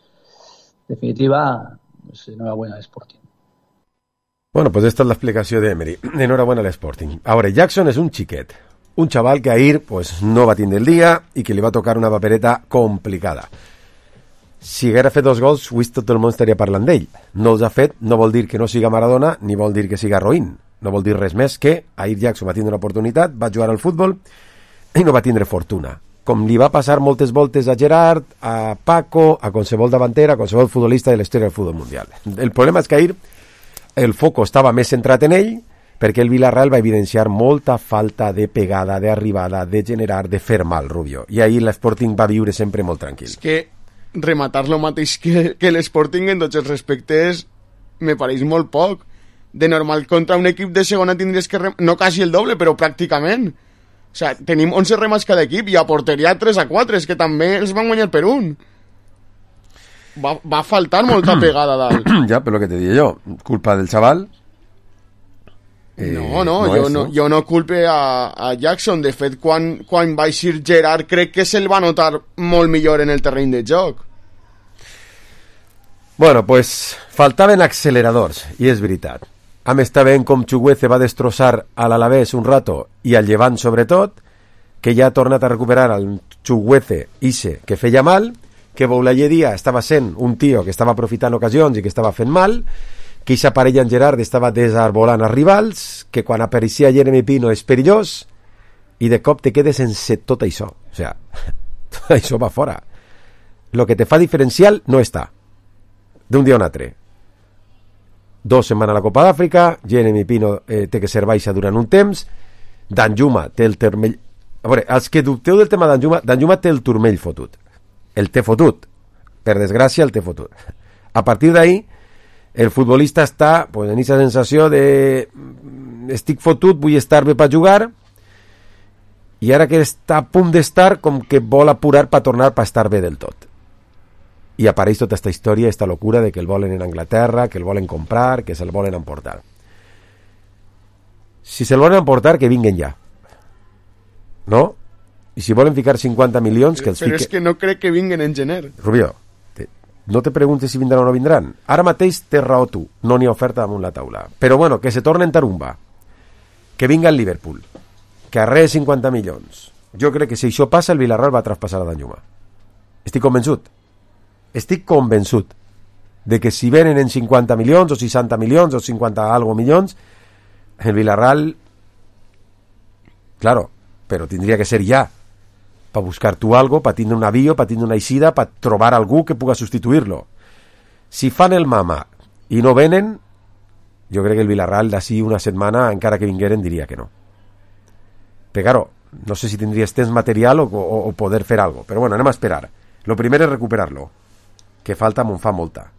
En definitiva, pues, enhorabuena al Sporting. Bueno, pues esta es la explicación de Emery. Enhorabuena al Sporting. Ahora, Jackson es un xiquet, un chaval que ahir pues, no va tindre el dia i que li va tocar una papereta complicada. Si haguera fet 2 gols, avui tot el món estaria parlant d'ell. No els ha fet, no vol dir que no siga Maradona, ni vol dir que siga Roín. No vol dir res més que ahir Jackson va tindre una oportunitat, va jugar al futbol i no va tindre fortuna. Com li va passar moltes voltes a Gerard, a Paco, a qualsevol davanter, a qualsevol futbolista de la història del futbol mundial. El problema és que ahir el foco estava més centrat en ell, perquè el Villarreal va evidenciar molta falta de pegada, d'arribada, de generar, de fer mal, Rubio. I ahir l'Sporting va viure sempre molt tranquil. És que rematar lo mateix que l'Sporting en tots els respectes me pareix molt poc. De normal, contra un equip de segona tindries que no quasi el doble, però pràcticament. O sea, tenim 11 remats cada equip i a porteria 3-4, és que també els van guanyar per un. Va faltar molta pegada dalt. Ja, però el que te dic jo, culpa del xaval. Jo no culpe a Jackson. De fet, quan va eixir Gerard, crec que se'l va notar molt millor en el terreny de joc. Bueno, pues faltaven acceleradors, i és veritat. A més, està veient com Chukwueze va destrossar a l'Alavés un rato, i al Llevant sobretot, que ja ha tornat a recuperar el Chukwueze ixe que feia mal, que Boulaye Díaz estava sent un tio que estava aprofitant ocasions i que estava fent mal, que aquesta parella en Gerard estava desarbolant els rivals, que quan apareixia Jeremy Pino és perillós, i de cop te quedes sense tot això. O sea, tot això va fora. Lo que te fa diferencial no està. D'un dia a un altre. 2 setmanes a la Copa d'Àfrica, Jeremy Pino té que ser baixa durant un temps, Danjuma té el turmell... A veure, els que dubteu del tema Danjuma té el turmell fotut. El té fotut. Per desgràcia, el té fotut. A partir d'ahí, el futbolista està pues, en aquesta sensació de estic fotut, vull estar bé per jugar, i ara que està a punt d'estar, com que vol apurar per tornar per estar bé del tot. I apareix tota aquesta història, aquesta locura de que el volen en Anglaterra, que el volen comprar, que se'l volen emportar. si se lo van a emportar, que vinguen ja. No? I si volen ficar 50 milions, que els Però fiquen... és que no crec que vinguen en gener. Rubio, no te preguntes si vindran o no vindran. Ara mateix té raó tu, no n'hi ha oferta damunt la taula. Però bueno, que se tornen Tarumba, que vinga el Liverpool, que arree 50 milions. Jo crec que si això passa, el Villarreal va traspassar a Danjuma. Estic convençut de que si venen en 50 milions o 60 milions o 50 algo milions, el Villarreal, claro, però tindria que ser ja, per buscar tu algo, per tindre un avió, per tindre una eixida, per trobar algú que puga substituir-lo. Si fan el mama i no venen, jo crec que el Villarreal d'ací una setmana, encara que vingueren, diria que no. Però claro, no sé si tindries temps material o poder fer algo, però bueno, anem a esperar. Lo primer es recuperarlo, que falta me'n fa molta.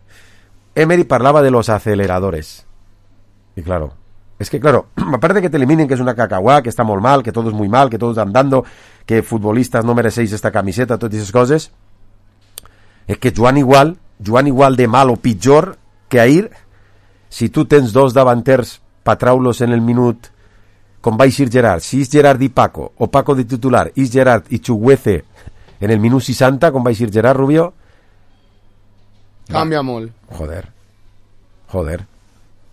Emery parlava de los aceleradores. Y claro, es que claro, aparte de que te eliminen, que es una cacahuá, que está muy mal, que todo es muy mal, que todos andando, que futbolistas no merecéis esta camiseta, todas esas cosas, es que Joan igual de mal o pitjor que ahir, si tu tens dos davanters pa traulos en el minut, com va eixir Gerard, si és Gerard i Paco, o Paco de titular, és Gerard i Chuguece en el minut 60, com va eixir Gerard, Rubio, Cambia molt. Joder,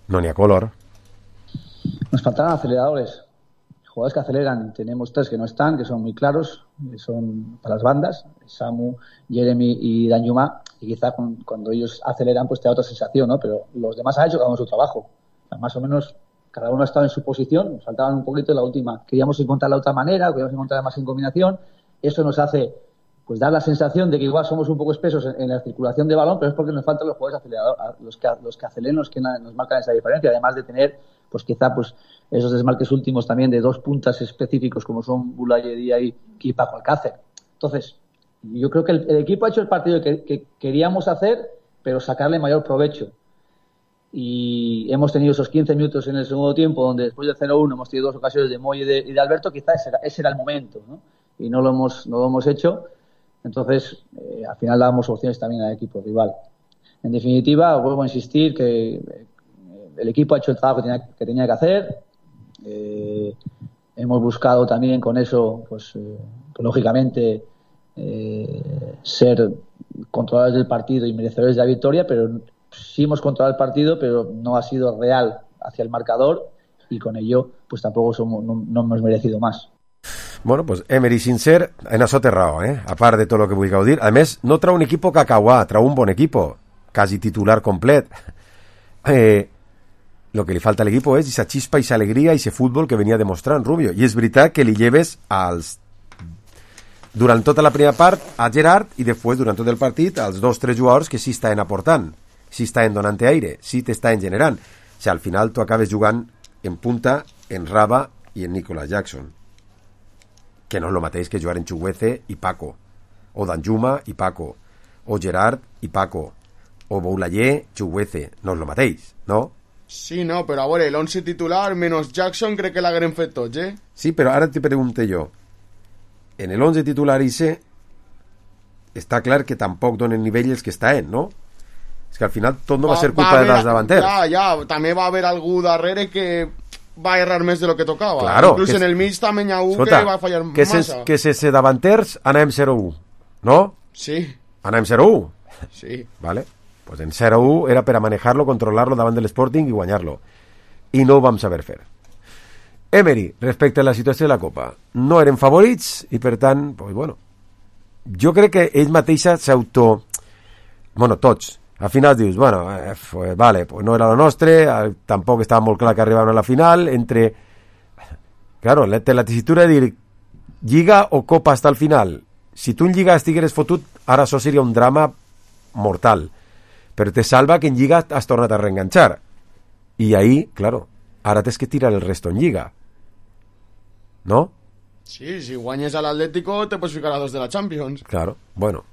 no n'hi ha color. Nos faltan aceleradores, jugadores que aceleran. Tenemos tres que no están, que son muy claros, que son para las bandas, Samu, Jeremy y Danjuma, y quizá cuando ellos aceleran pues te da otra sensación, ¿no? Pero los demás han hecho cada uno su trabajo. Más o menos cada uno ha estado en su posición, nos faltaban un poquito en la última. Queríamos encontrar la otra manera, queríamos encontrar más en combinación. Eso nos hace pues dar la sensación de que igual somos un poco espesos en la circulación de balón, pero es porque nos faltan los jugadores aceleradores, los que aceleran, los que nos marcan esa diferencia, además de tener pues quizá pues esos desmarques últimos también de dos puntas específicos como son Boulaye y Paco Alcácer. Entonces, yo creo que el equipo ha hecho el partido que queríamos hacer, pero sacarle mayor provecho. Y hemos tenido esos 15 minutos en el segundo tiempo donde después del 0-1 hemos tenido dos ocasiones de Moy y de Alberto, quizá ese era el momento, ¿no? Y no lo hemos hecho. Entonces, al final damos opciones también al equipo rival. En definitiva, vuelvo a insistir que el equipo ha hecho el trabajo que tenía que hacer. Hemos buscado también con eso, pues lógicamente, ser controladores del partido y merecedores de la victoria, pero sí hemos controlado el partido, pero no ha sido real hacia el marcador y con ello, pues tampoco no hemos merecido más. Bueno, pues Emery sincer, en això té raó, a part de tot el que vulgueu dir. A més, no trau un equip cacauà, trau un bon equip, quasi titular complet. Lo que li falta a l'equip és esa xispa, esa alegria, ese futbol que venia demostrant Rubio. I és veritat que li lleves durant tota la primera part a Gerard i després, durant tot el partit, als 2-3 jugadors que sí estaven aportant, sí estaven donant aire, sí t'estaven generant. O sigui, al final tu acabes jugant en punta, en Raba i en Nicolas Jackson, que no és el mateix que jugar en Chuguece i Paco, o Danjuma i Paco, o Gerard i Paco, o Boulaye, Chuguece, no és el mateix, no? Sí, no, però a veure, el 11 titular menos Jackson crec que l'hagueren fet tots, Sí, però ara te pregunto jo, en el 11 titular ese està clar que tampoc donen nivell els que estan, no? És que al final tot no va ser culpa de les davanters. Ja, també va haver algú darrere que va errar més de lo que tocava. Claro, inclús en el mig també hi ha un que va fallar massa. Que sense davanters anàvem 0-1, no? Sí. Anàvem 0-1? Sí. Vale. Pues en 0-1 era per a manejar-lo, controlar-lo davant de l'Sporting i guanyar-lo. I no ho vam saber fer. Emery, respecte a la situació de la Copa, no eren favorits i per tant, pues bueno, jo crec que ell mateixa s'auto... Bueno, tots. Al final dius, bueno, pues vale, pues no era lo nostre, tampoc estava molt clar que arribaven a la final, entre... Claro, la tessitura de dir Lliga o Copa hasta el final. Si tu en Lliga estigueres fotut, ara això seria un drama mortal. Però te salva que en Lliga has tornat a reenganxar. I ahí, claro, ara tens que tirar el resto en Lliga. ¿No? Sí, si guanyes a l'Atlético te pots ficar a dos de la Champions. Claro, bueno.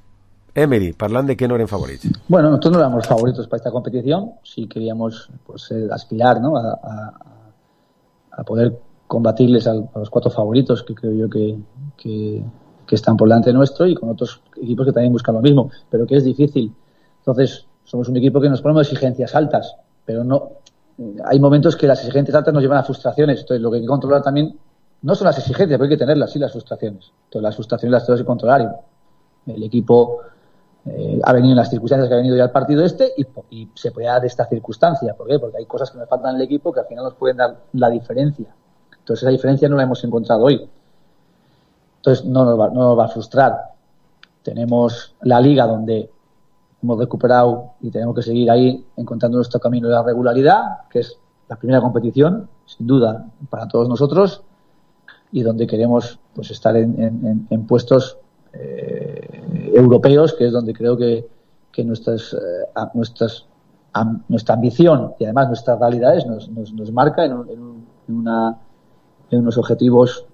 Emery, parlant de que no eren favorits. Bueno, nosotros no éramos favoritos para esta competición. Sí queríamos pues, aspirar, ¿no? a poder combatirles a los cuatro favoritos que creo yo que están por delante nuestro y con otros equipos que también buscan lo mismo, pero que es difícil. Entonces, somos un equipo que nos ponemos exigencias altas, pero no hay momentos que las exigencias altas nos llevan a frustraciones. Entonces, lo que hay que controlar también no son las exigencias, pero hay que tenerlas, sí, las frustraciones. Entonces, las frustraciones las tenemos que controlar. Y el equipo ha venido en las circunstancias que ha venido ya el partido y se puede dar de esta circunstancia. ¿Por qué? Porque hay cosas que me faltan en el equipo que al final nos pueden dar la diferencia. Entonces, esa diferencia no la hemos encontrado hoy. Entonces, no nos va a frustrar. Tenemos la Liga donde hemos recuperado y tenemos que seguir ahí encontrando nuestro camino de la regularidad, que es la primera competición, sin duda, para todos nosotros, y donde queremos pues estar en puestos europeos, que es donde creo que nuestra ambición y además nuestras realidades nos marca en unos objetivos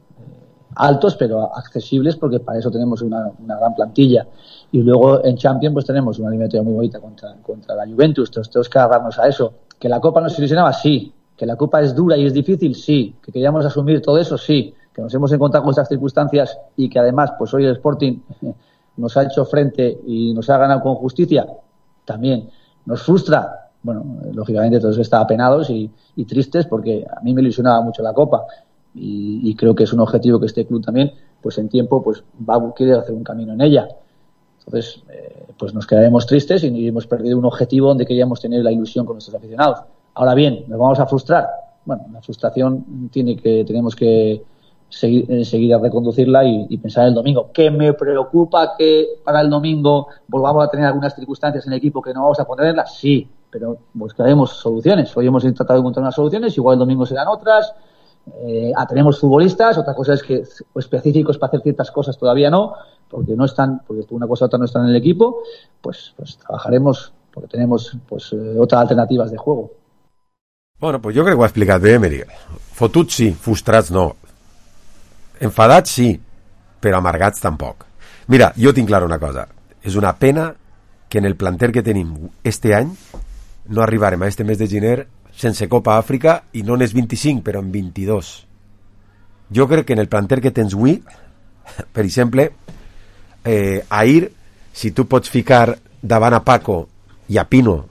altos pero accesibles, porque para eso tenemos una gran plantilla. Y luego en Champions pues tenemos una eliminatoria muy bonita contra la Juventus. Entonces tenemos que agarrarnos a eso. ¿Que la Copa nos ilusionaba? Sí. ¿Que la Copa es dura y es difícil? Sí. ¿Que queríamos asumir todo eso? Sí. ¿Que nos hemos encontrado con estas circunstancias y que además pues hoy el Sporting nos ha hecho frente y nos ha ganado con justicia? También. ¿Nos frustra? Bueno, lógicamente todos estamos apenados y tristes, porque a mí me ilusionaba mucho la Copa. Y creo que es un objetivo que este club también, pues en tiempo, pues quiere hacer un camino en ella. Entonces, pues nos quedaremos tristes y hemos perdido un objetivo donde queríamos tener la ilusión con nuestros aficionados. Ahora bien, ¿nos vamos a frustrar? Bueno, la frustración tenemos que seguir a reconducirla y pensar en el domingo. ¿Qué me preocupa que para el domingo volvamos a tener algunas circunstancias en el equipo que no vamos a ponerlas? Sí, pero buscaremos soluciones. Hoy hemos tratado de encontrar unas soluciones, igual el domingo serán otras. Tenemos futbolistas, otra cosa es que específicos para hacer ciertas cosas todavía no, porque por una cosa u otra no están en el equipo, pues trabajaremos porque tenemos otras alternativas de juego. Bueno, pues jo crec que ho ha explicat bé, Emery. Fotuts sí, frustrats no. Enfadats sí, però amargats tampoc. Mira, jo tinc clara una cosa. És una pena que en el planter que tenim este any no arribarem a este mes de gener sense Copa Àfrica, i no n'és 25, però en 22. Jo crec que en el planter que tens avui, per exemple, ahir, si tu pots ficar davant a Paco i a Pino,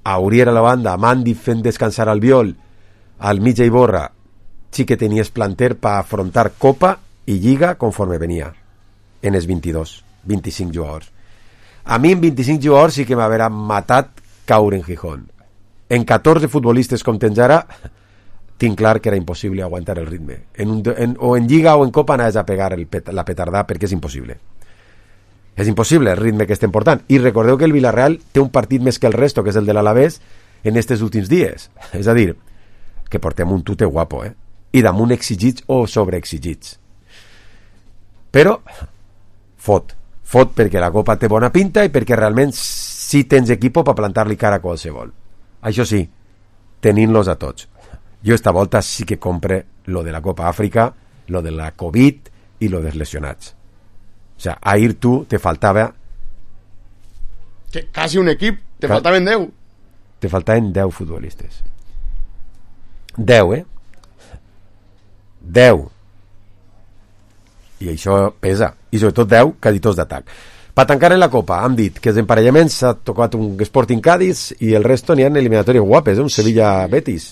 a Uriel a la banda, a Mandi fent descansar al Viol, al mig a Iborra, sí que tenies planter per afrontar Copa i Lliga conforme venia en els 25 jugadors. A mi en 25 jugadors sí que m'haurà matat caure en Gijón. En 14 futbolistes com tens ara, tinc clar que era impossible aguantar el ritme. O en Lliga o en Copa anaves a pegar la petardà, perquè és impossible. És impossible el ritme que estem portant. I recordeu que el Villarreal té un partit més que el resto, que és el de l'Alavés, en estos últims dies. És a dir, que portem un tute guapo, i damunt exigits o sobreexigits. Però fot perquè la Copa té bona pinta i perquè realment sí tens equipo per plantar-li cara a qualsevol. Això sí, tenint-los a tots. Jo esta volta sí que compre lo de la Copa Àfrica, lo de la Covid i lo dels lesionats. O sea, ahir tu te faltava... Casi un equip, te faltaven 10. Te faltaven 10 futbolistes. 10, 10. I això pesa. I sobretot 10 caditors d'atac. Per tancar en la Copa, hem dit que els emparellaments s'ha tocat un Sporting Cádiz i el resto n'hi ha eliminatòries guapes, un Sevilla-Betis.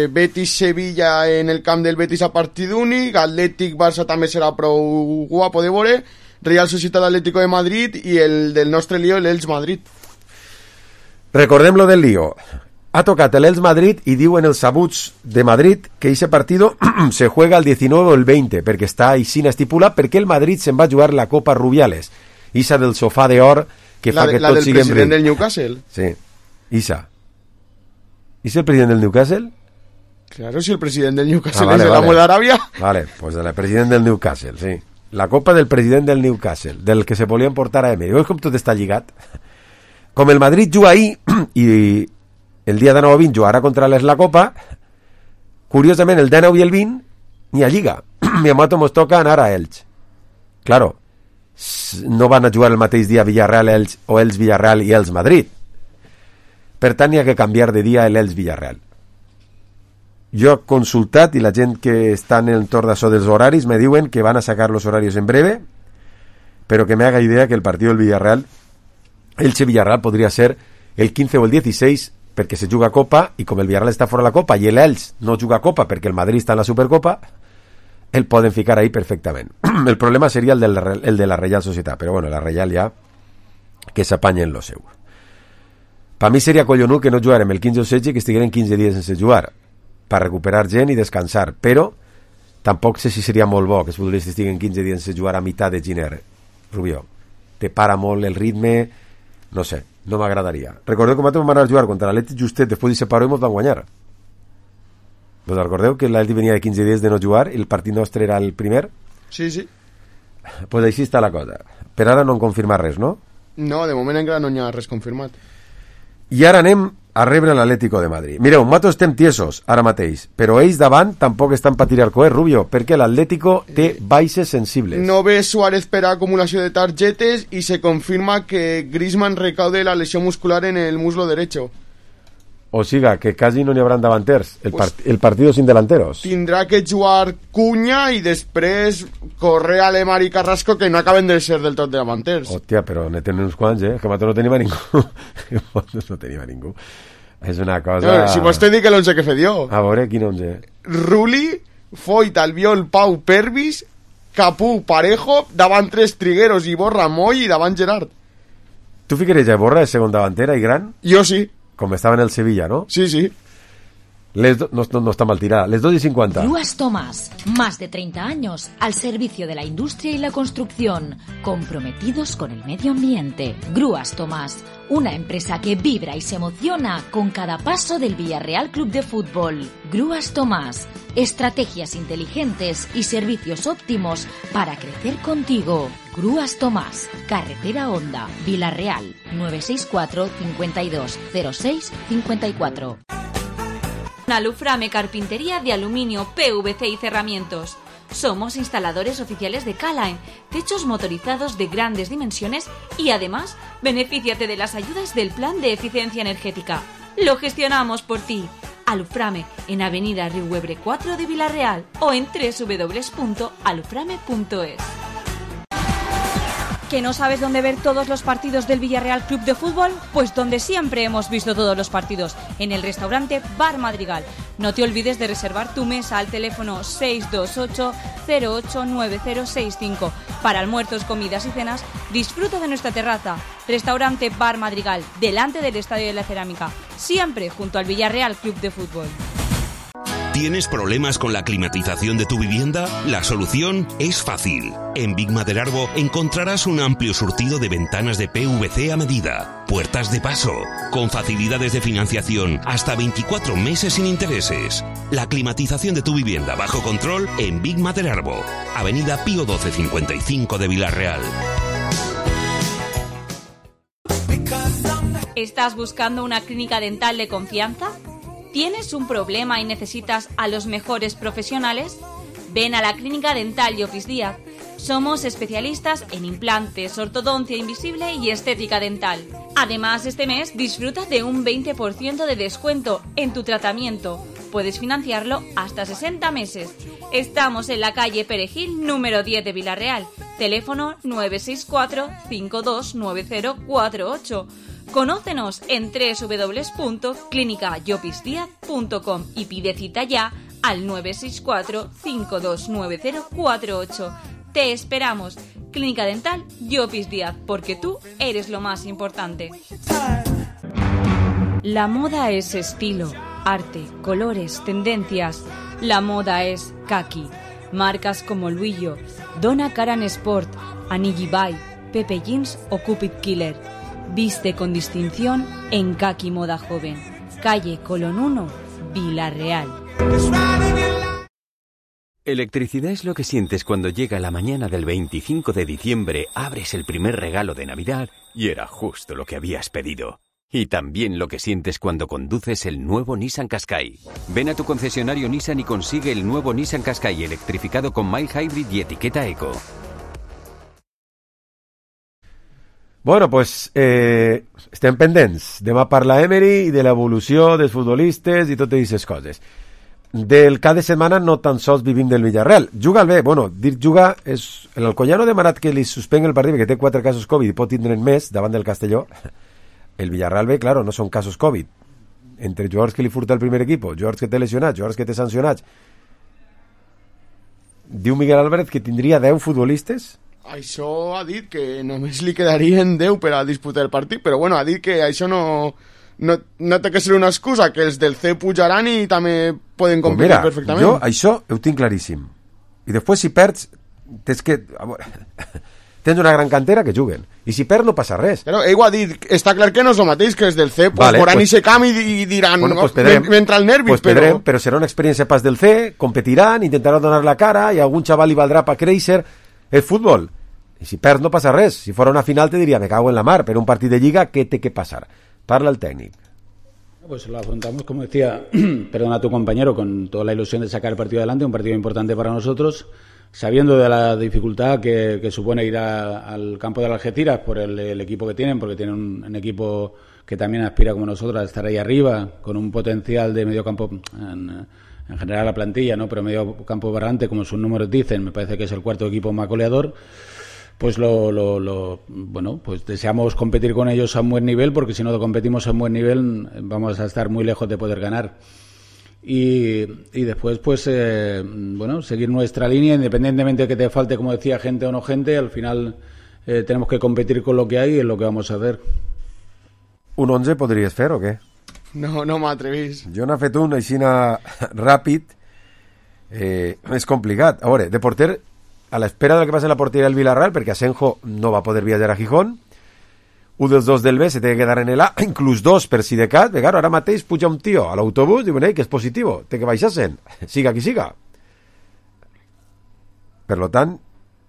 Betis-Sevilla en el camp del Betis a partit únic, Atlètic-Barça també serà prou guapo de veure, Real Societat Atlético de Madrid i el del nostre lío, l'Elx Madrid. Recordem lo del lío. Ha tocat el Elx Madrid i diuen els sabuts de Madrid que ese partido se juega el 19 o el 20 perquè està així estipulat, perquè el Madrid se'n va jugar la Copa Rubiales, Isa del sofà d'or que fa que tot sigui... La del president del Newcastle. Sí, Isa. ¿Es el presidente del Newcastle? Claro, si el presidente del Newcastle es el amo de Arabia. Vale, pues el presidente del Newcastle, sí. La Copa del president del Newcastle, del que se volia emportar a Emery. Veus com tot està lligat? Com el Madrid juga ahir i el dia 19 o 20 jugarà contra la Copa, curiosament el 19 i el 20 ni a Lliga. Mi amato mos toca anar a Elx. Claro, no van a jugar el mateix dia Villarreal-Elx o Elx-Villarreal i Elx-Madrid. Per tant, hi ha que canviar de dia l'Elx-Villarreal. Jo he consultat i la gent que està en l'entorn d'això dels horaris me diuen que van a sacar los horarios en breve, però que me haga idea que el partido del Villarreal, Elche-Villarreal, podria ser el 15 o el 16 perquè se juga Copa, i com el Villarreal està fora de la Copa i l'Elx no juga Copa perquè el Madrid està en la Supercopa, el poden ficar ahí perfectament. El problema seria el de la Real Societat, però bueno, la Real ja que s'apanyen lo seu. Per mi seria collonut que no jugarem el 15 o 16 i que estigueren 15 dies sense jugar per recuperar gent i descansar, però tampoc sé si seria molt bo que els futbolistes estiguen 15 dies sense jugar a meitat de gener. Rubió, te para molt el ritme, no sé, no m'agradaria. Recordeu que vam anar a jugar contra l'Atlètic justet després de separar i ens van guanyar. ¿Vos recordeu que l'Atlètic venia de 15 dies de no jugar i el partit nostre era el primer? Sí, sí. Pues així està la cosa. Per ara no han confirmat res, no? No, de moment encara no hi ha res confirmat. I ara anem a rebre l'Atlético de Madrid. Mireu, nosaltres estem tiesos ara mateix, però ells davant tampoc estan per tirar coet, Rubio, perquè l'Atlético té baixes sensibles. No ve Suárez per acumulació de targetes i se confirma que Griezmann recaude la lesió muscular en el muslo derecho. O siga, que quasi no n'hi haurà davanters. El partido sin delanteros. Tindrà que jugar Cunha i després Correa, Lemar i Carrasco, que no acaben de ser del tot davanters. Hòstia, però ne tenen uns quants, que nosaltres no tenim a ningú. No tenim a ningú. És una cosa... No, si vos te dic l'11 que fe dio. A veure, quin 11? Rulli, Foyt, Albiol, Pau, Pervis, Capú, Parejo, davant tres Trigueros, Iborra, Moy i davant Gerard. Tu ficaries a Iborra de segon davantera i gran? Jo sí. Com estava en el Sevilla, ¿no? Sí, sí. No está mal tirada. Les 2:50. Grúas Tomás, más de 30 años al servicio de la industria y la construcción, comprometidos con el medio ambiente. Grúas Tomás, una empresa que vibra y se emociona con cada paso del Villarreal Club de Fútbol. Grúas Tomás, estrategias inteligentes y servicios óptimos para crecer contigo. Grúas Tomás, Carretera Honda, Villarreal, 964 52 06 54. Aluframe Carpintería de Aluminio, PVC y Cerramientos. Somos instaladores oficiales de K-Line, techos motorizados de grandes dimensiones y además benefíciate de las ayudas del Plan de Eficiencia Energética. Lo gestionamos por ti. Aluframe en Avenida Riuebre 4 de Villarreal o en www.aluframe.es. ¿Que no sabes dónde ver todos los partidos del Villarreal Club de Fútbol? Pues donde siempre hemos visto todos los partidos, en el restaurante Bar Madrigal. No te olvides de reservar tu mesa al teléfono 628-089065. Para almuerzos, comidas y cenas, disfruta de nuestra terraza. Restaurante Bar Madrigal, delante del Estadio de la Cerámica, siempre junto al Villarreal Club de Fútbol. ¿Tienes problemas con la climatización de tu vivienda? La solución es fácil. En Big Maderarbo encontrarás un amplio surtido de ventanas de PVC a medida, puertas de paso, con facilidades de financiación hasta 24 meses sin intereses. La climatización de tu vivienda bajo control en Big Maderarbo, Avenida Pío 1255 de Villarreal. ¿Estás buscando una clínica dental de confianza? ¿Tienes un problema y necesitas a los mejores profesionales? Ven a la Clínica Dental Llopis Díaz. Somos especialistas en implantes, ortodoncia invisible y estética dental. Además, este mes disfruta de un 20% de descuento en tu tratamiento. Puedes financiarlo hasta 60 meses. Estamos en la calle Perejil, número 10 de Villarreal. Teléfono 964 529048. Conócenos en www.clinicayopisdiaz.com y pide cita ya al 964 529048. Te esperamos. Clínica Dental Llopis Díaz, porque tú eres lo más importante. La moda es estilo, arte, colores, tendencias. La moda es kaki. Marcas como Luillo, Donna Karan Sport, Anigi Bay, Pepe Jeans o Cupid Killer. Viste con distinción en Kaki Moda Joven. Calle Colón 1, Villarreal. Electricidad es lo que sientes cuando llega la mañana del 25 de diciembre, abres el primer regalo de Navidad y era justo lo que habías pedido. Y también lo que sientes cuando conduces el nuevo Nissan Qashqai. Ven a tu concesionario Nissan y consigue el nuevo Nissan Qashqai electrificado con mild hybrid y etiqueta eco. Bueno, pues estem pendents. Demà parla Emery i de l'evolució dels futbolistes i totes aquestes coses. Del cada setmana no tan sols vivim del Villarreal. Juga el bé. Bueno, dir juga és... L'Alcoyano ha demanat que li suspengui el partit que té 4 casos Covid i pot tindre'n més davant del Castelló. El Villarreal B, claro, no són casos Covid. entre jugadors que li furta el primer equip, jugadors que té lesionats, jugadors que té sancionats. Diu Miguel Álvarez que tindria 10 futbolistes. Això ha dit que només li quedarien 10 per a disputar el partit, però bueno, ha dit que això no té que ser una excusa, que els del C pujaran i també poden competir perfectament. Jo això ho tinc claríssim. I després si perds tens una gran cantera que juguen, i si perds no passa res. Però ell ho ha dit, està clar que no és el mateix que els del C, veuran i se camp i diran, m'entra el nervi, però serà una experiència pas del C, competiran, intentaran donar la cara, i a algun xaval li valdrà per créixer. És futbol, i si perds no passa res. Si fora una final te diria, me cago en la mar, pero un partido de Liga, ¿qué té que pasar? Parla el técnico. Pues lo afrontamos, como decía, perdona a tu compañero, con toda la ilusión de sacar el partido adelante, un partido importante para nosotros, sabiendo de la dificultad que supone ir al campo de Algeciras por el equipo que tienen, porque tienen un equipo que también aspira como nosotros a estar ahí arriba, con un potencial de medio campo, en general la plantilla, ¿no? Pero medio campo barrante, como sus números dicen, me parece que es el cuarto equipo más goleador. Pues bueno, pues deseamos competir con ellos a un buen nivel, porque si no competimos a un buen nivel vamos a estar muy lejos de poder ganar. Y después, pues, bueno, seguir nuestra línea, independientemente de que te falte, como decía, gente o no gente, al final tenemos que competir con lo que hay y es lo que vamos a hacer. ¿Un 11 podries fer o què? No m'atrevís. Jo n'ha fet un així ràpid, és complicat. A veure, de porter, a l'espera del que passa en la porteria del Villarreal, perquè Asenjo no va poder viatjar a Gijón, un dels dos del B se té que quedar en el A, inclús dos per si de cat, claro, ara mateix puja un tio a l'autobús, diuen, que és positiu, té que baixar-se'n, siga qui siga. Per lo tant,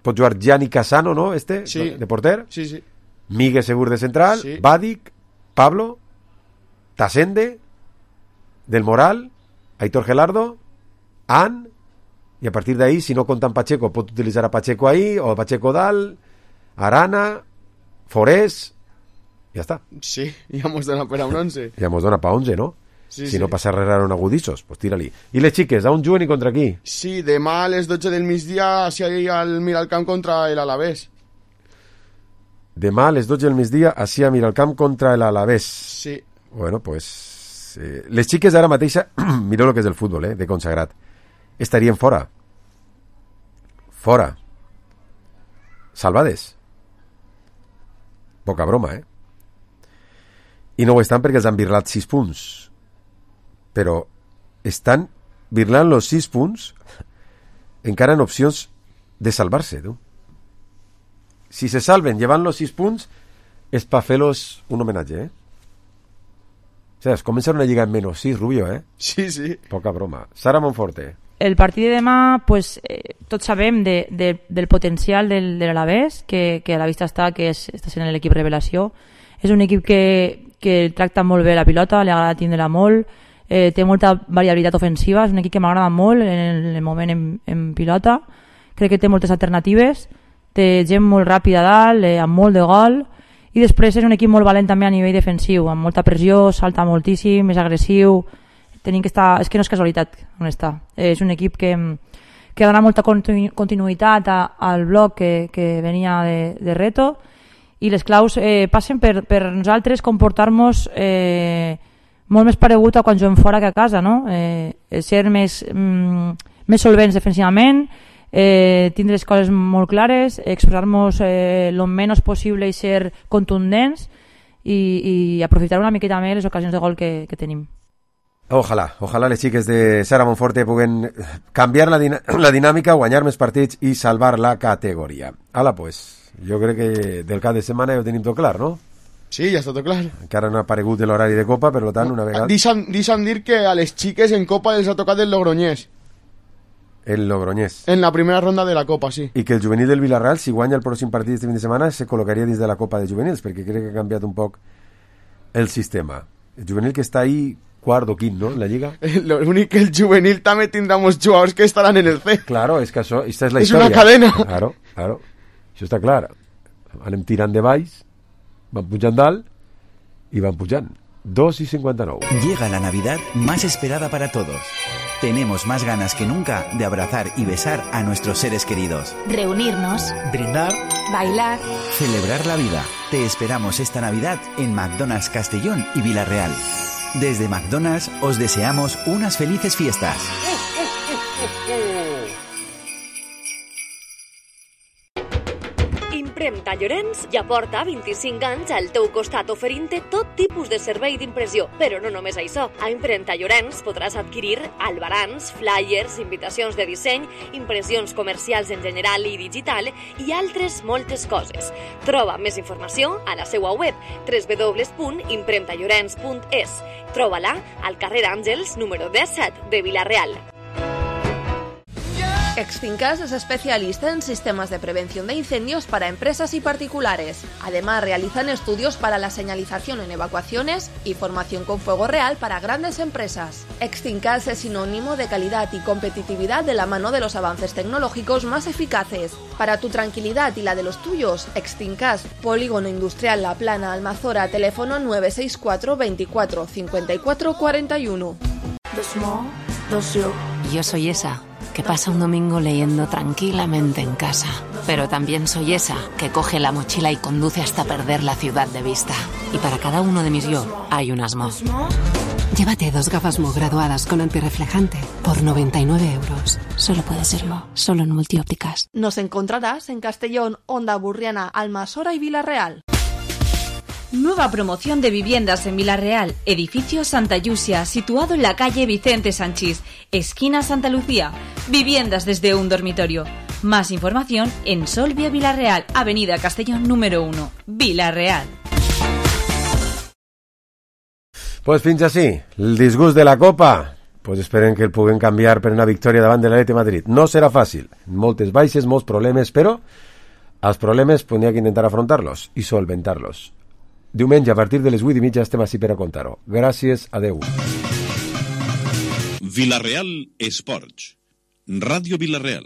pot jugar Gianni Casano, ¿no? Sí. De porter. Sí. Migue Segur de central, sí. Badic, Pablo, Tasende, Del Moral, Aitor Gelardo, An, i a partir d'ahí, si no compten Pacheco, pot utilitzar a Pacheco ahí, o a Pacheco dalt, Arana, Forés, ja està. Sí, ja mos dona per a un 11. Ja mos dona per 11, no? Sí, si no passa res raro en agudissos, pues tira-li. I les xiques, on juguen i contra qui? Sí, demà a les 12 del migdia així al Miralcamp contra el Alavés. Demà a les 12 del migdia així a Miralcamp contra el Alavés. Sí. Bueno, pues... les xiques d'ara mateixa, mireu el que és el futbol, de consagrat, estarien fora. Fora. Salvades. Poca broma, I no ho estan perquè els han birlat 6 punts. Però estan birlant los 6 punts encara en opcions de salvar-se, tu. Si se salven llevant los 6 punts és per fer-los un homenatge, O sea, es comença una lliga en menos 6, Rubio, Sí. Poca broma. Sara Monforte. El partit de demà, pues, tots sabem del potencial de l'Alavés, que a la vista està que està sent l'equip revelació. És un equip que tracta molt bé la pilota, li agrada tindre-la molt, té molta variabilitat ofensiva, és un equip que m'agrada molt en el moment en pilota, crec que té moltes alternatives, té gent molt ràpida a dalt, amb molt de gol, i després és un equip molt valent també a nivell defensiu, amb molta pressió, salta moltíssim, és agressiu, tenim que estar... És que no és casualitat on està. És un equip que dona molta continuïtat al bloc que venia de Reto, i les claus passen per nosaltres comportar-nos molt més paregut a quan juguem fora que a casa, no? Ser més solvents defensivament, tindre les coses molt clares, expressar-nos el menys possible i ser contundents i aprofitar una miqueta més les ocasions de gol que tenim. Ojalá les xiques de Sara Monforte puguen canviar la dinàmica, guanyar més partits i salvar la categoria. Pues, jo crec que del cap de setmana ja ho tenim tot clar, no? Sí, ja està tot clar. Encara no ha aparegut l'horari de Copa, per tant, una vegada... Deixa'm dir que a les xiques en Copa els ha tocat el Logroñés. El Logroñés. En la primera ronda de la Copa, sí. I que el juvenil del Villarreal, si guanya el pròxim partit este fin de setmana, se col·locaria dins de la Copa de Juvenils, perquè crec que ha canviat un poc el sistema. El juvenil que està ahí quart o quint, no?, en la Lliga. L'únic que el juvenil també tindrà molts jugadors que estaran en el C. Claro, és que això, esta és la història. És una cadena. Claro. Això està clar. Anem tirant de baix, van pujant dalt i van pujant. 2:59. Llega la Navidad más esperada para todos. Tenemos más ganas que nunca de abrazar y besar a nuestros seres queridos. Reunirnos. Brindar. Bailar. Celebrar la vida. Te esperamos esta Navidad en McDonald's Castellón y Villarreal. Desde McDonald's os deseamos unas felices fiestas. Impremta Llorenç ja porta 25 anys al teu costat oferint-te tot tipus de servei d'impressió. Però no només això. A Impremta Llorenç podràs adquirir albarans, flyers, invitacions de disseny, impressions comercials en general i digital i altres moltes coses. Troba més informació a la seva web www.impremtallorens.es. Troba-la al carrer Àngels, número 17 de Vila-real. Exfincas es especialista en sistemas de prevención de incendios para empresas y particulares. Además, realizan estudios para la señalización en evacuaciones y formación con fuego real para grandes empresas. Exfincas es sinónimo de calidad y competitividad de la mano de los avances tecnológicos más eficaces. Para tu tranquilidad y la de los tuyos, Exfincas, Polígono Industrial La Plana, Almazora, teléfono 964 24 54 41. Yo soy esa que pasa un domingo leyendo tranquilamente en casa. Pero también soy esa que coge la mochila y conduce hasta perder la ciudad de vista. Y para cada uno de mis yo hay un Asmo. Llévate 2 gafas Mo graduadas con antirreflejante por 99 euros. Solo puede serlo, solo en Multiópticas. Nos encontrarás en Castellón, Onda Burriana, Almasora y Vila-real. Nueva promoción de viviendas en Vila-real, edificio Santa Llucia, situado en la calle Vicente Sanchís, esquina Santa Lucía. Viviendas desde un dormitorio. Más información en Solvia Vila-real, avenida Castellón número 1, Vila-real. Pues fins així, el disgust de la Copa. Pues esperen que el puguem canviar per una victòria davant de l'Atlètic de Madrid. No serà fàcil, moltes baixes, molts problemes, però els problemes n'hi ha que intentar afrontar-los i solventar-los. Diumenge, a partir de les 8:30, estem així per a contar-ho. Gràcies, adeu. Vila-real Esports. Ràdio Vila-real.